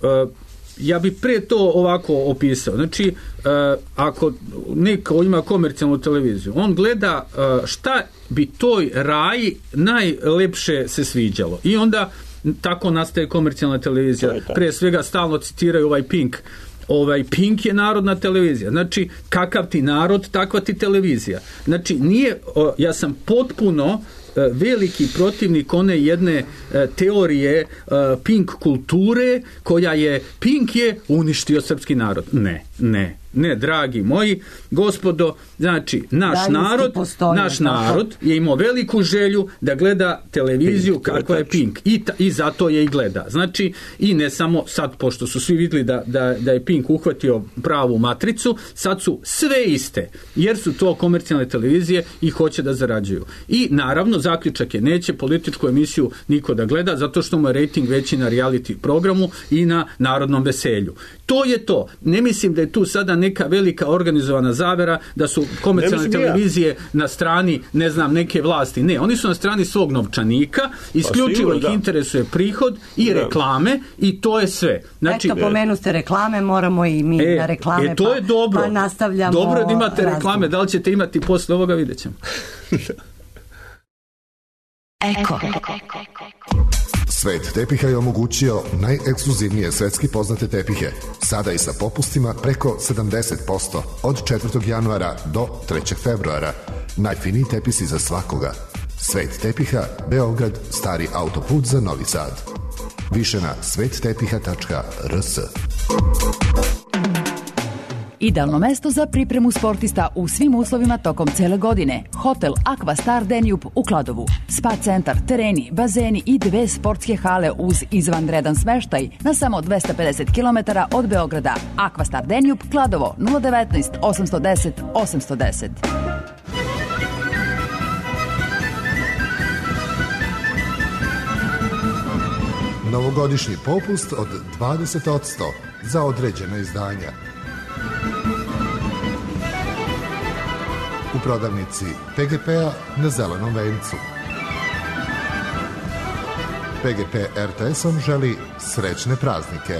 Uh, ja bi pre to ovako opisao. Znači, uh, ako neko ima komercijalnu televiziju, on gleda uh, šta bi toj raji najlepše se sviđalo. I onda tako nastaje komercijalna televizija. Pre svega stalno citiraju ovaj Pink. Ovaj Pink je narodna televizija. Znači, kakav ti narod, takva ti televizija. Znači, nije, uh, ja sam potpuno veliki protivnik one jedne teorije Pink kulture koja je Pink je uništio srpski narod. Ne, ne, ne, dragi moji, gospodo, znači, naš Daljinski narod, postoji, naš tako. narod je imao veliku želju da gleda televiziju Pink, kakva je Pink. I, ta, I zato je i gleda. Znači, i ne samo sad, pošto su svi vidjeli da, da, da je Pink uhvatio pravu matricu, sad su sve iste, jer su to komercijalne televizije i hoće da zarađuju. I naravno, zaključak je, neće političku emisiju niko da gleda, zato što mu je rating veći na reality programu i na narodnom veselju. To je to. Ne mislim da je tu sada neka velika organizovana zavera, da su komercijalne televizije ja. na strani, ne znam, neke vlasti. Ne, oni su na strani svog novčanika, isključivo pa, ih da. interesuje prihod i da. reklame i to je sve. Znači, eto, pomenu ste reklame, moramo i mi e, na reklame, e, to je dobro. Pa, pa nastavljamo. Dobro je da imate razgovor. Reklame, da li ćete imati posle ovoga, vidjet ćemo. Eko. Svet tepiha je omogućio najekskluzivnije svetski poznate tepihe, sada i sa popustima preko sedamdeset posto od četvrtog januara do trećeg februara. Najfiniji tepisi za svakoga. Svet tepiha, Beograd, stari autoput za Novi Sad. Više na svet tepiha tačka r s. Idealno mesto za pripremu sportista u svim uslovima tokom cele godine. Hotel Aqua Star Danube u Kladovu. Spa centar, tereni, bazeni i dve sportske hale uz izvanredan smeštaj na samo dvesta pedeset kilometara od Beograda. Aqua Star Danube, Kladovo, nula devetnaest osamsto deset osamsto deset. Novogodišnji popust od dvadeset posto za određena izdanja. U prodavnici P G P-a na Zelenom vencu. P G P R T S-om želi srećne praznike.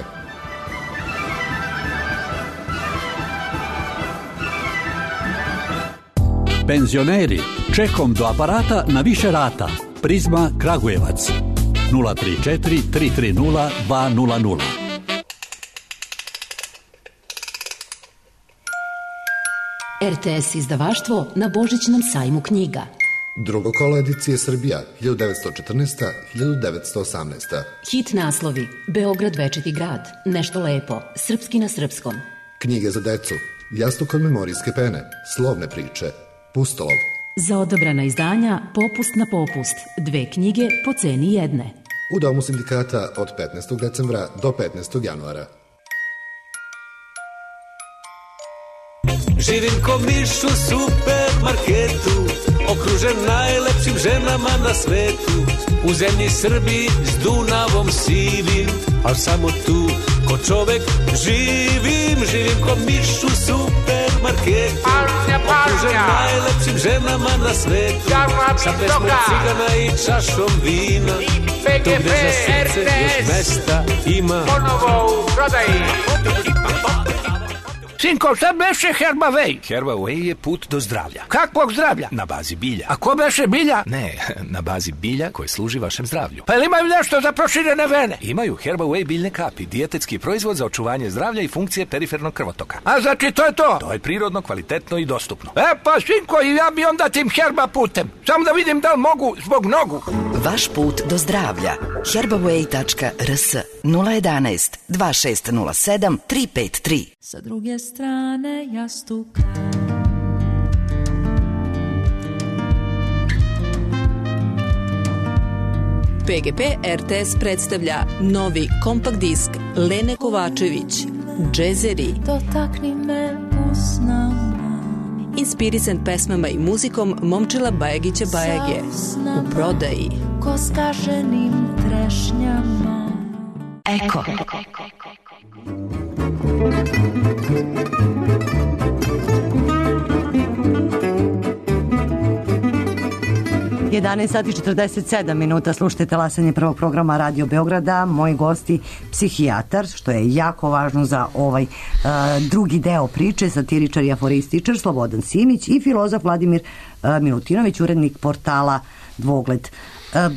Penzioneri, čekom do aparata na više rata. Prizma Kragujevac nula tri četiri tri tri nula dva nula nula. R T S izdavaštvo na Božićnom sajmu knjiga. Drugo kolo edicije Srbija hiljadu devetsto četrnaesta do hiljadu devetsto osamnaesta. Hit naslovi: Beograd večiti grad, Nešto lepo, Srpski na srpskom. Knjige za decu, Jastuk od memorijske pene, Slovne priče, Pustolov. Za odabrana izdanja Popust na popust, dve knjige po ceni jedne. U Domu sindikata od petnaestog decembra do petnaestog januara. Živim ko miš u supermarketu, okružen najlepšim ženama na svetu. U zemlji Srbiji s Dunavom sivim, al samo tu ko čovek živim. Živim ko miš u supermarketu, okružen najlepšim ženama na svetu. Sa pesmom cigana i čašom vina, to gde za srce još mesta ima. Ponovo u prodaji. Sinko, šta beše Herbaway? Herbaway je put do zdravlja. Kakvog zdravlja? Na bazi bilja. A ko beše bilja? Ne, na bazi bilja koje služi vašem zdravlju. Pa ili imaju nešto za proširene vene? Imaju Herbaway biljne kapi, dijetetski proizvod za očuvanje zdravlja i funkcije perifernog krvotoka. A znači to je to? To je prirodno, kvalitetno i dostupno. E pa Sinko, i ja bi onda tim Herba putem. Samo da vidim da li mogu zbog nogu. Vaš put do zdravlja. herbaway tačka r s nula jedanaest dva šest nula sedam tri pet tri. Sa druge strane jastuka. P G P R T S predstavlja novi kompakt disk Lene Kovačević, Džezeri. Dotakni me usnama. Inspirisan pesmama i muzikom Momčila Bajagića Bajage. U prodaji. Ko skaženim trešnjama. Eko. jedanaest sati četrdeset sedam minuta, slušajte talasanje prvog programa Radio Beograda. Moji gosti, psihijatar, što je jako važno za ovaj uh, drugi deo priče, satiričar i aforističar Slobodan Simić i filozof Vladimir uh, Milutinović, urednik portala Dvogled. Uh,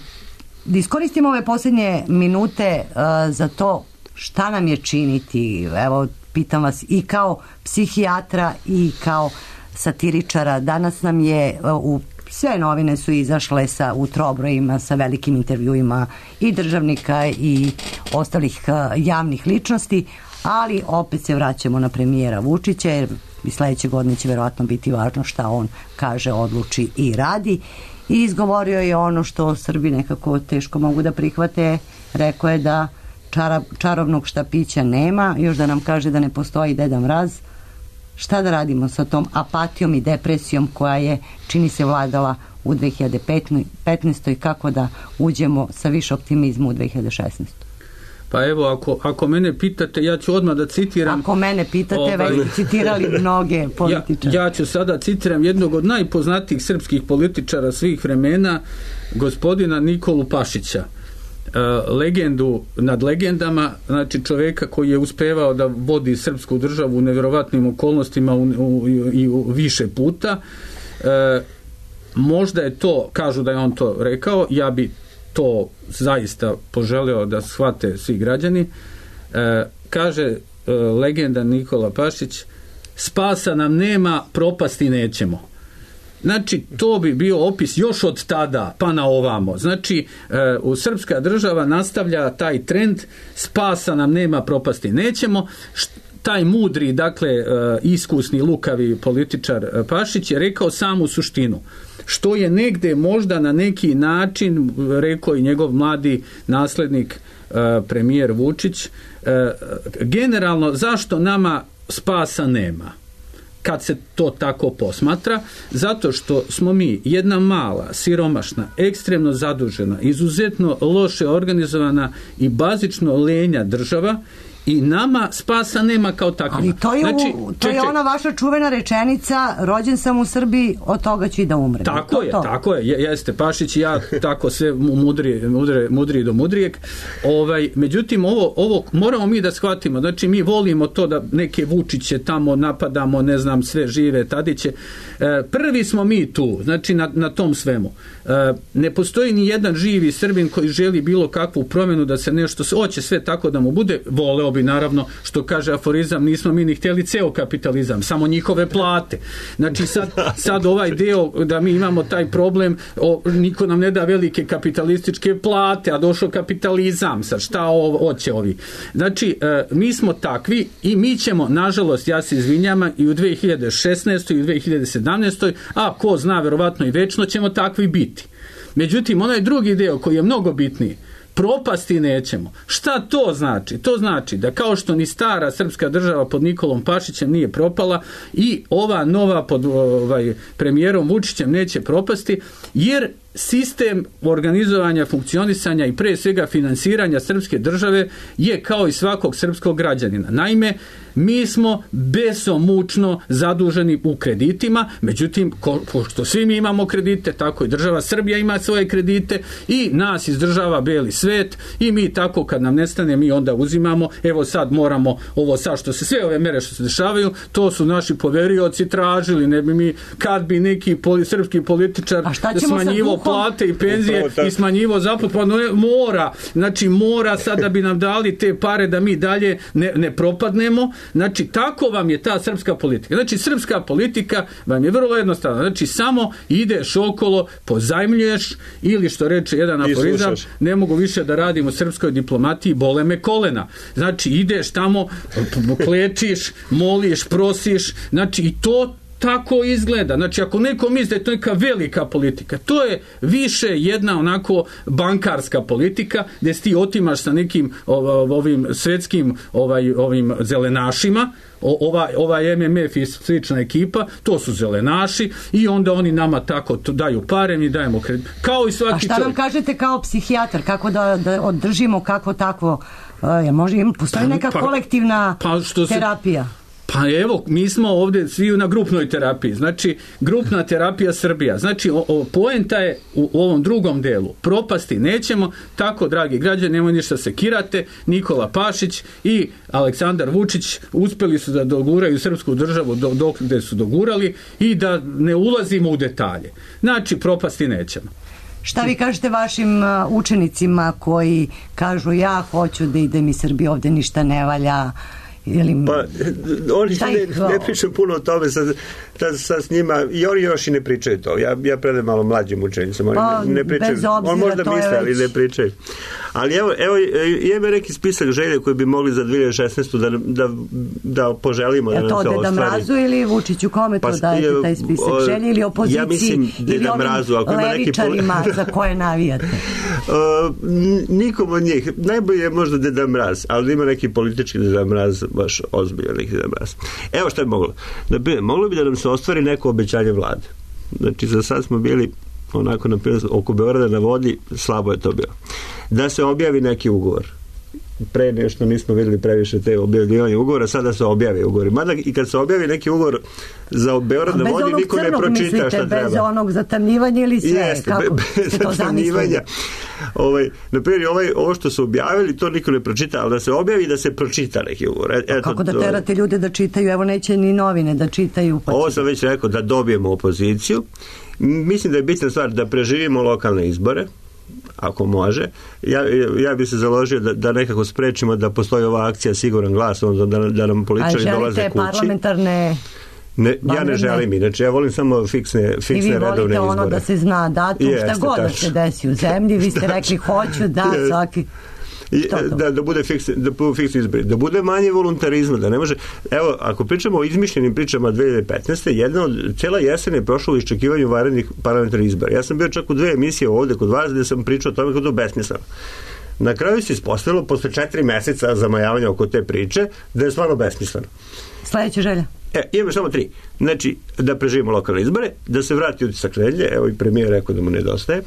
da iskoristimo ove posljednje minute uh, za to šta nam je činiti. Evo, pitam vas i kao psihijatra i kao satiričara. Danas nam je uh, u sve novine su izašle sa u trobrojima sa velikim intervjuima i državnika i ostalih uh, javnih ličnosti, ali opet se vraćamo na premijera Vučića, jer i sledeće godine će verovatno biti važno šta on kaže, odluči i radi. I izgovorio je ono što Srbi nekako teško mogu da prihvate. Rekao je da čara, čarobnog štapića nema, još da nam kaže da ne postoji Deda Mraz. Šta da radimo sa tom apatijom i depresijom koja je, čini se, vladala u dve hiljade petnaestoj. Kako da uđemo sa više optimizma u dve hiljade šesnaestoj. Pa evo, ako, ako mene pitate, ja ću odmah da citiram... Ako mene pitate, ovaj, već citirali mnoge političare. Ja, ja ću sada citiram jednog od najpoznatijih srpskih političara svih vremena, gospodina Nikolu Pašića. Uh, legendu nad legendama, znači čoveka koji je uspevao da vodi srpsku državu u nevjerovatnim okolnostima u, u, i u više puta. Uh, možda je to, kažu da je on to rekao, ja bi to zaista poželeo da shvate svi građani. Uh, kaže uh, legenda Nikola Pašić: spasa nam nema, propasti nećemo. Znači, to bi bio opis još od tada pa na ovamo. Znači, e, u srpska država nastavlja taj trend, spasa nam nema, propasti nećemo. Št, taj mudri, dakle, e, iskusni, lukavi političar Pašić je rekao samu suštinu. Što je negde možda na neki način rekao i njegov mladi naslednik e, premijer Vučić. E, generalno, zašto nama spasa nema? Kad se to tako posmatra, zato što smo mi jedna mala, siromašna, ekstremno zadužena, izuzetno loše organizovana i bazično lenja država i nama spasa nema kao takvima. Ali to je, znači, u, to je ona vaša čuvena rečenica, rođen sam u Srbiji, od toga ću i da umrem. Tako to, je, to. tako je, jeste, Pašić i ja tako sve mudri, mudri, mudri do mudrijeg. Ovaj, međutim, ovo, ovo moramo mi da shvatimo, znači mi volimo to da neke Vučiće tamo napadamo, ne znam, sve žive Tadiće. E, prvi smo mi tu, znači na, na tom svemu. E, ne postoji ni jedan živi Srbin koji želi bilo kakvu promjenu da se nešto, hoće sve tako da mu bude, voleo bi naravno, što kaže aforizam, nismo mi ni htjeli ceo kapitalizam, samo njihove plate. Znači sad, sad ovaj deo da mi imamo taj problem, o, niko nam ne da velike kapitalističke plate, a došao kapitalizam, sad šta ovo, hoće ovi. Znači, e, mi smo takvi i mi ćemo, nažalost, ja se izvinjam, i u dve hiljade šesnaestoj i u dve hiljade sedamnaestoj, a ko zna, verovatno i večno ćemo takvi biti. Međutim, onaj drugi deo koji je mnogo bitniji, propasti nećemo. Šta to znači? To znači da kao što ni stara srpska država pod Nikolom Pašićem nije propala, i ova nova pod ovaj, premijerom Vučićem neće propasti, jer sistem organizovanja, funkcionisanja i pre svega finansiranja srpske države je kao i svakog srpskog građanina. Naime, mi smo besomučno zaduženi u kreditima, međutim, pošto svi mi imamo kredite, tako i država Srbija ima svoje kredite i nas izdržava beli svet i mi tako kad nam nestane, mi onda uzimamo, evo sad moramo, ovo sad što se, sve ove mere što se dešavaju, to su naši poverioci tražili, ne bi mi, kad bi neki poli, srpski političar smanjivo plate i penzije i smanjivo zaplatu, pa no, mora, znači mora sad da bi nam dali te pare da mi dalje ne, ne propadnemo. Znači, tako vam je ta srpska politika. Znači, srpska politika vam je vrlo jednostavna. Znači, samo ideš okolo, pozajmljuješ, ili što reče jedan aforizam, ne mogu više da radim u srpskoj diplomatiji, bole me kolena. Znači, ideš tamo, klečiš, moliš, prosiš, znači, i to tako izgleda. Znači, ako neko misli da je to neka velika politika, to je više jedna onako bankarska politika, gdje ti otimaš sa nekim ovim svetskim ovaj, ovim zelenašima, ova, ova M M F i slična ekipa, to su zelenaši, i onda oni nama tako daju pare, mi dajemo kredit. Kao i svaki čovjek. A šta nam kažete kao psihijatar, kako da, da održimo kako takvo, je, može, postoji neka pa, kolektivna pa, što terapija? Se, Pa evo, mi smo ovdje svi na grupnoj terapiji, znači grupna terapija Srbija, znači o, o, poenta je u, u ovom drugom delu, propasti nećemo, tako dragi građani, nemoj ništa se kirate, Nikola Pašić i Aleksandar Vučić uspjeli su da doguraju srpsku državu do, dok gde su dogurali i da ne ulazimo u detalje, znači propasti nećemo. Šta vi kažete vašim učenicima koji kažu ja hoću da idem iz Srbije, ovdje ništa ne valja? Ili... Pa, oni ne, ne pričam puno o tome sa, sa, sa s njima, i oni još i ne pričaju to. Ja, ja predam malo mlađim učenicama, oni pa, ne, ne pričaju. On možda misle, ali ne pričaju. Ali evo, evo imamo neki spisak želje koji bi mogli za dve hiljade šesnaestu da, da, da poželimo da nam se ostvari. Je to Deda Mrazu ili Vučiću, kome to pa, dajete taj spisak želje, ili opoziciji, ja mislim, ili ovim Mrazu, ako levičarima neki... za koje navijate? Uh, nikom od njih. Najbolje je možda Deda Mraz, ali ima neki politički Deda Mraz, baš ozbiljan neki Deda Mraz. Evo što je moglo. Da bi, moglo bi da nam se ostvari neko obećanje vlade. Znači, za sad smo bili onako, na primjer, oko Beograda na vodi, slabo je to bilo. Da se objavi neki ugovor. Pre nešto nismo vidjeli previše te objavljivanje ugovora, sada se objavi ugovori. Mada i kad se objavi neki ugovor za Beograd na vodi, niko ne pročita mislite, šta treba. Bez onog zatamnjivanja ili sve? Jeste, kako bez zatamnjivanja. Ovaj, na primjer, ovaj, ovo što su objavili, to niko ne pročita, ali da se objavi i da se pročita neki ugovor. Eto, kako da terate ljude da čitaju? Evo, neće ni novine da čitaju. Pa ovo sam već rekao, da dobijemo opoziciju. Mislim da je bitna stvar da preživimo lokalne izbore, ako može. Ja, ja bi se založio da, da nekako sprečimo da postoji ova akcija Siguran glas, onda da, da nam političari dolaze kući. A želite parlamentarne... Ne, ja ne želim, inače ja volim samo fiksne, fiksne redovne izbore. I vi volite ono da se zna datum, šta god da se desi u zemlji, vi ste rekli hoću da svaki... Da, da bude fiksni, da bude fiksni izbori, da bude manje voluntarizma, da ne može, evo, ako pričamo o izmišljenim pričama dve hiljade petnaeste. jedna od, cijela jesen je prošla u iščekivanju vanrednih parlamentarnih izbora. Ja sam bio čak u dve emisije ovdje kod vas gdje sam pričao o tome kako to besmisleno. Na kraju se ispostavilo, posle četiri meseca zamajavanja oko te priče, da je stvarno besmisleno. Sljedeća želja? E, imamo samo tri. Znači, da preživimo lokalne izbore, da se vrati utisak nedelje, evo i premijer rekao da mu nedostaje,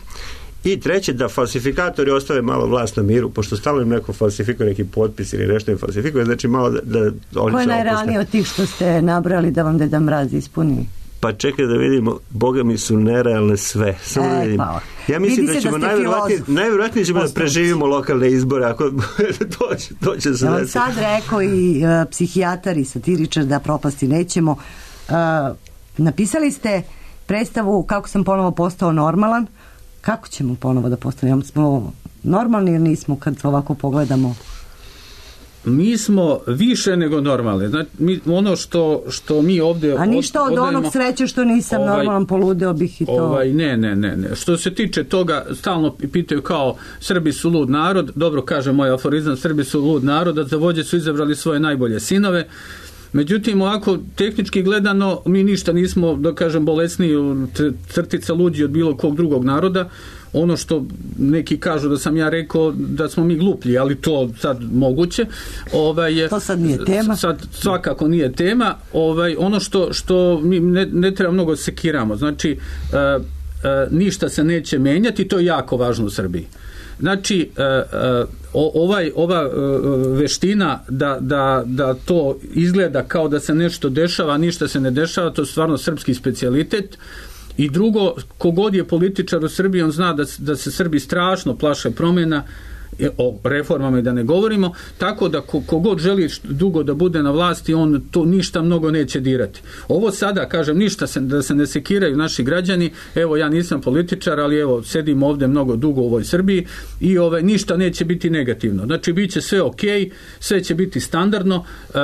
I treće, da falsifikatori ostave malo vlast na miru, pošto stalno im neko falsifikuje neki potpis ili nešto im falsifikuje, znači malo da, da oni Ko je najrealnije od tih što ste nabrali da vam Deda Mraz ispuni? Pa čekaj da vidimo, boga mi su nerealne sve. Samo e, da vidimo. Pa. Ja mislim da ćemo da najvjerojatnije, najvjerojatnije ćemo da preživimo lokalne izbore, ako to će, to će se ja vam sad rekao i uh, psihijatar i satiričar da propasti nećemo. Uh, napisali ste predstavu Kako sam ponovo postao normalan. Kako ćemo ponovo da postanemo? Smo normalni ili nismo kad ovako pogledamo? Mi smo više nego normalni. Znači, mi, ono što, što mi ovdje... A ništa od odajemo, onog sreće što nisam ovaj, normalan, poludeo bih i to. Ovaj, ne, ne, ne, ne. Što se tiče toga, stalno pitaju kao Srbi su lud narod. Dobro kaže moj aforizam, Srbi su lud narod, a za vođe su izabrali svoje najbolje sinove. Međutim, ovako, tehnički gledano, mi ništa nismo, da kažem, bolesniji crtica luđi od bilo kog drugog naroda. Ono što neki kažu da sam ja rekao da smo mi gluplji, ali to sad moguće. Ovaj, to sad nije tema. Sad svakako nije tema. Ovaj, ono što, što mi ne, ne treba mnogo sekiramo. Znači, e, e, ništa se neće menjati, to je jako važno u Srbiji. Znači, ovaj, ova veština da, da, da to izgleda kao da se nešto dešava, a ništa se ne dešava, to je stvarno srpski specijalitet. I drugo, kogod je političar u Srbiji, on zna da, da se Srbi strašno plaše promjena, o reformama i da ne govorimo, tako da kogod želi dugo da bude na vlasti, on to ništa mnogo neće dirati. Ovo sada, kažem, ništa se, da se ne sekiraju naši građani, evo ja nisam političar, ali evo sedim ovdje mnogo dugo u ovoj Srbiji i ove, ništa neće biti negativno. Znači, bit će sve ok, sve će biti standardno. E,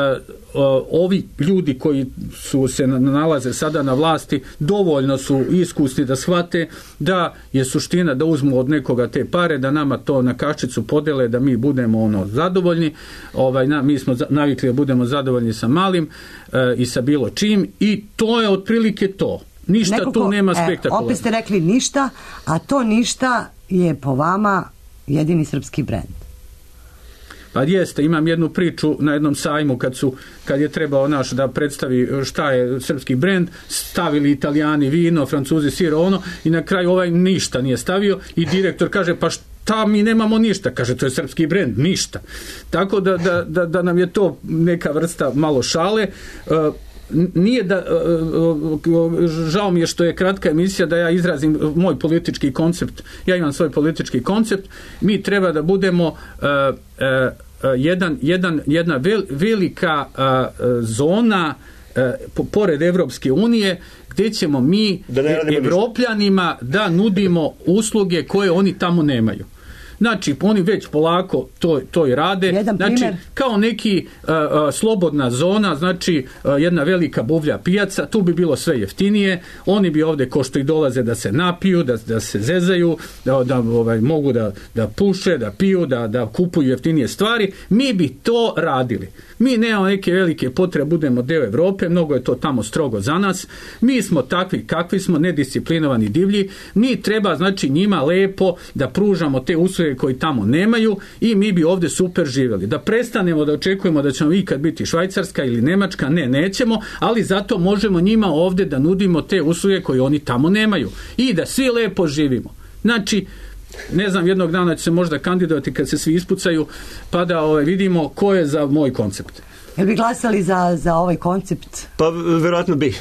ovi ljudi koji su se nalaze sada na vlasti dovoljno su iskusni da shvate da je suština da uzmu od nekoga te pare, da nama to na kašicu podele, da mi budemo ono zadovoljni. Ovaj, na, mi smo navikli da budemo zadovoljni sa malim e, i sa bilo čim i to je otprilike to. Ništa Nekako, tu nema spektakularno. E, opet ste rekli ništa, a to ništa je po vama jedini srpski brend. Pa jeste, imam jednu priču na jednom sajmu kad su, kad je trebao naš da predstavi šta je srpski brend, stavili Italijani vino, Francuzi sir, ono, i na kraju ovaj ništa nije stavio i direktor kaže pa šta mi nemamo ništa, kaže to je srpski brend, ništa. Tako da, da, da, da nam je to neka vrsta malo šale. Uh, nije da žao mi je što je kratka emisija da ja izrazim moj politički koncept. Ja imam svoj politički koncept. Mi treba da budemo uh, uh, jedan, jedan, jedna vel, velika uh, zona uh, pored Evropske unije gdje ćemo mi Evropljanima da nudimo usluge koje oni tamo nemaju. Znači, oni već polako to, to i rade. Jedan znači, primjer. Kao neki uh, uh, slobodna zona, znači uh, jedna velika buvlja pijaca, tu bi bilo sve jeftinije, oni bi ovdje ko što i dolaze da se napiju, da, da se zezaju, da, da ovaj, mogu da, da puše, da piju, da, da kupuju jeftinije stvari, mi bi to radili. Mi nemamo neke velike potrebe, budemo deo Evrope, mnogo je to tamo strogo za nas, mi smo takvi kakvi smo, nedisciplinovani divlji, mi treba znači njima lepo da pružamo te usluge koji tamo nemaju i mi bi ovdje super živjeli. Da prestanemo da očekujemo da ćemo ikad biti Švajcarska ili Nemačka, ne, nećemo, ali zato možemo njima ovdje da nudimo te usluge koje oni tamo nemaju i da svi lepo živimo. Znači, ne znam, jednog dana će se možda kandidovati kad se svi ispucaju, pa da ovaj, vidimo ko je za moj koncept. Jel bi glasali za, za ovaj koncept? Pa, verovatno bi.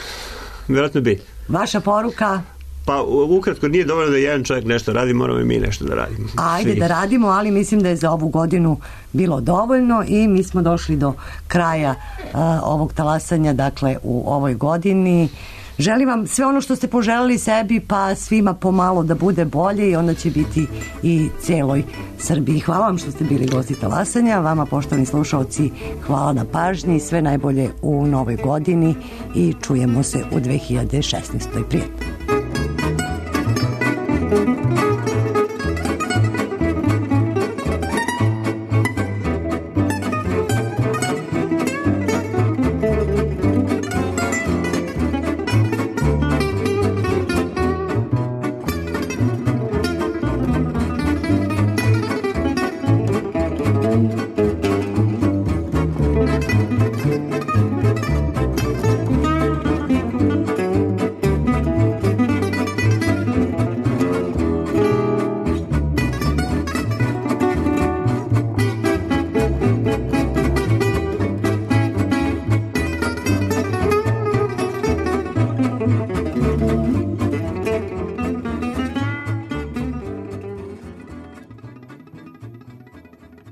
Verovatno bi. Vaša poruka? Pa, ukratko, nije dovoljno da jedan čovjek nešto radi, moramo i mi nešto da radimo. Ajde Svi. da radimo, ali mislim da je za ovu godinu bilo dovoljno i mi smo došli do kraja uh, ovog talasanja, dakle, u ovoj godini. Želim vam sve ono što ste poželeli sebi, pa svima pomalo da bude bolje i onda će biti i celoj Srbiji. Hvala vam što ste bili gosti talasanja, vama poštovani slušalci hvala na pažnji, sve najbolje u novoj godini i čujemo se u dve hiljade šesnaestoj. Prijatno.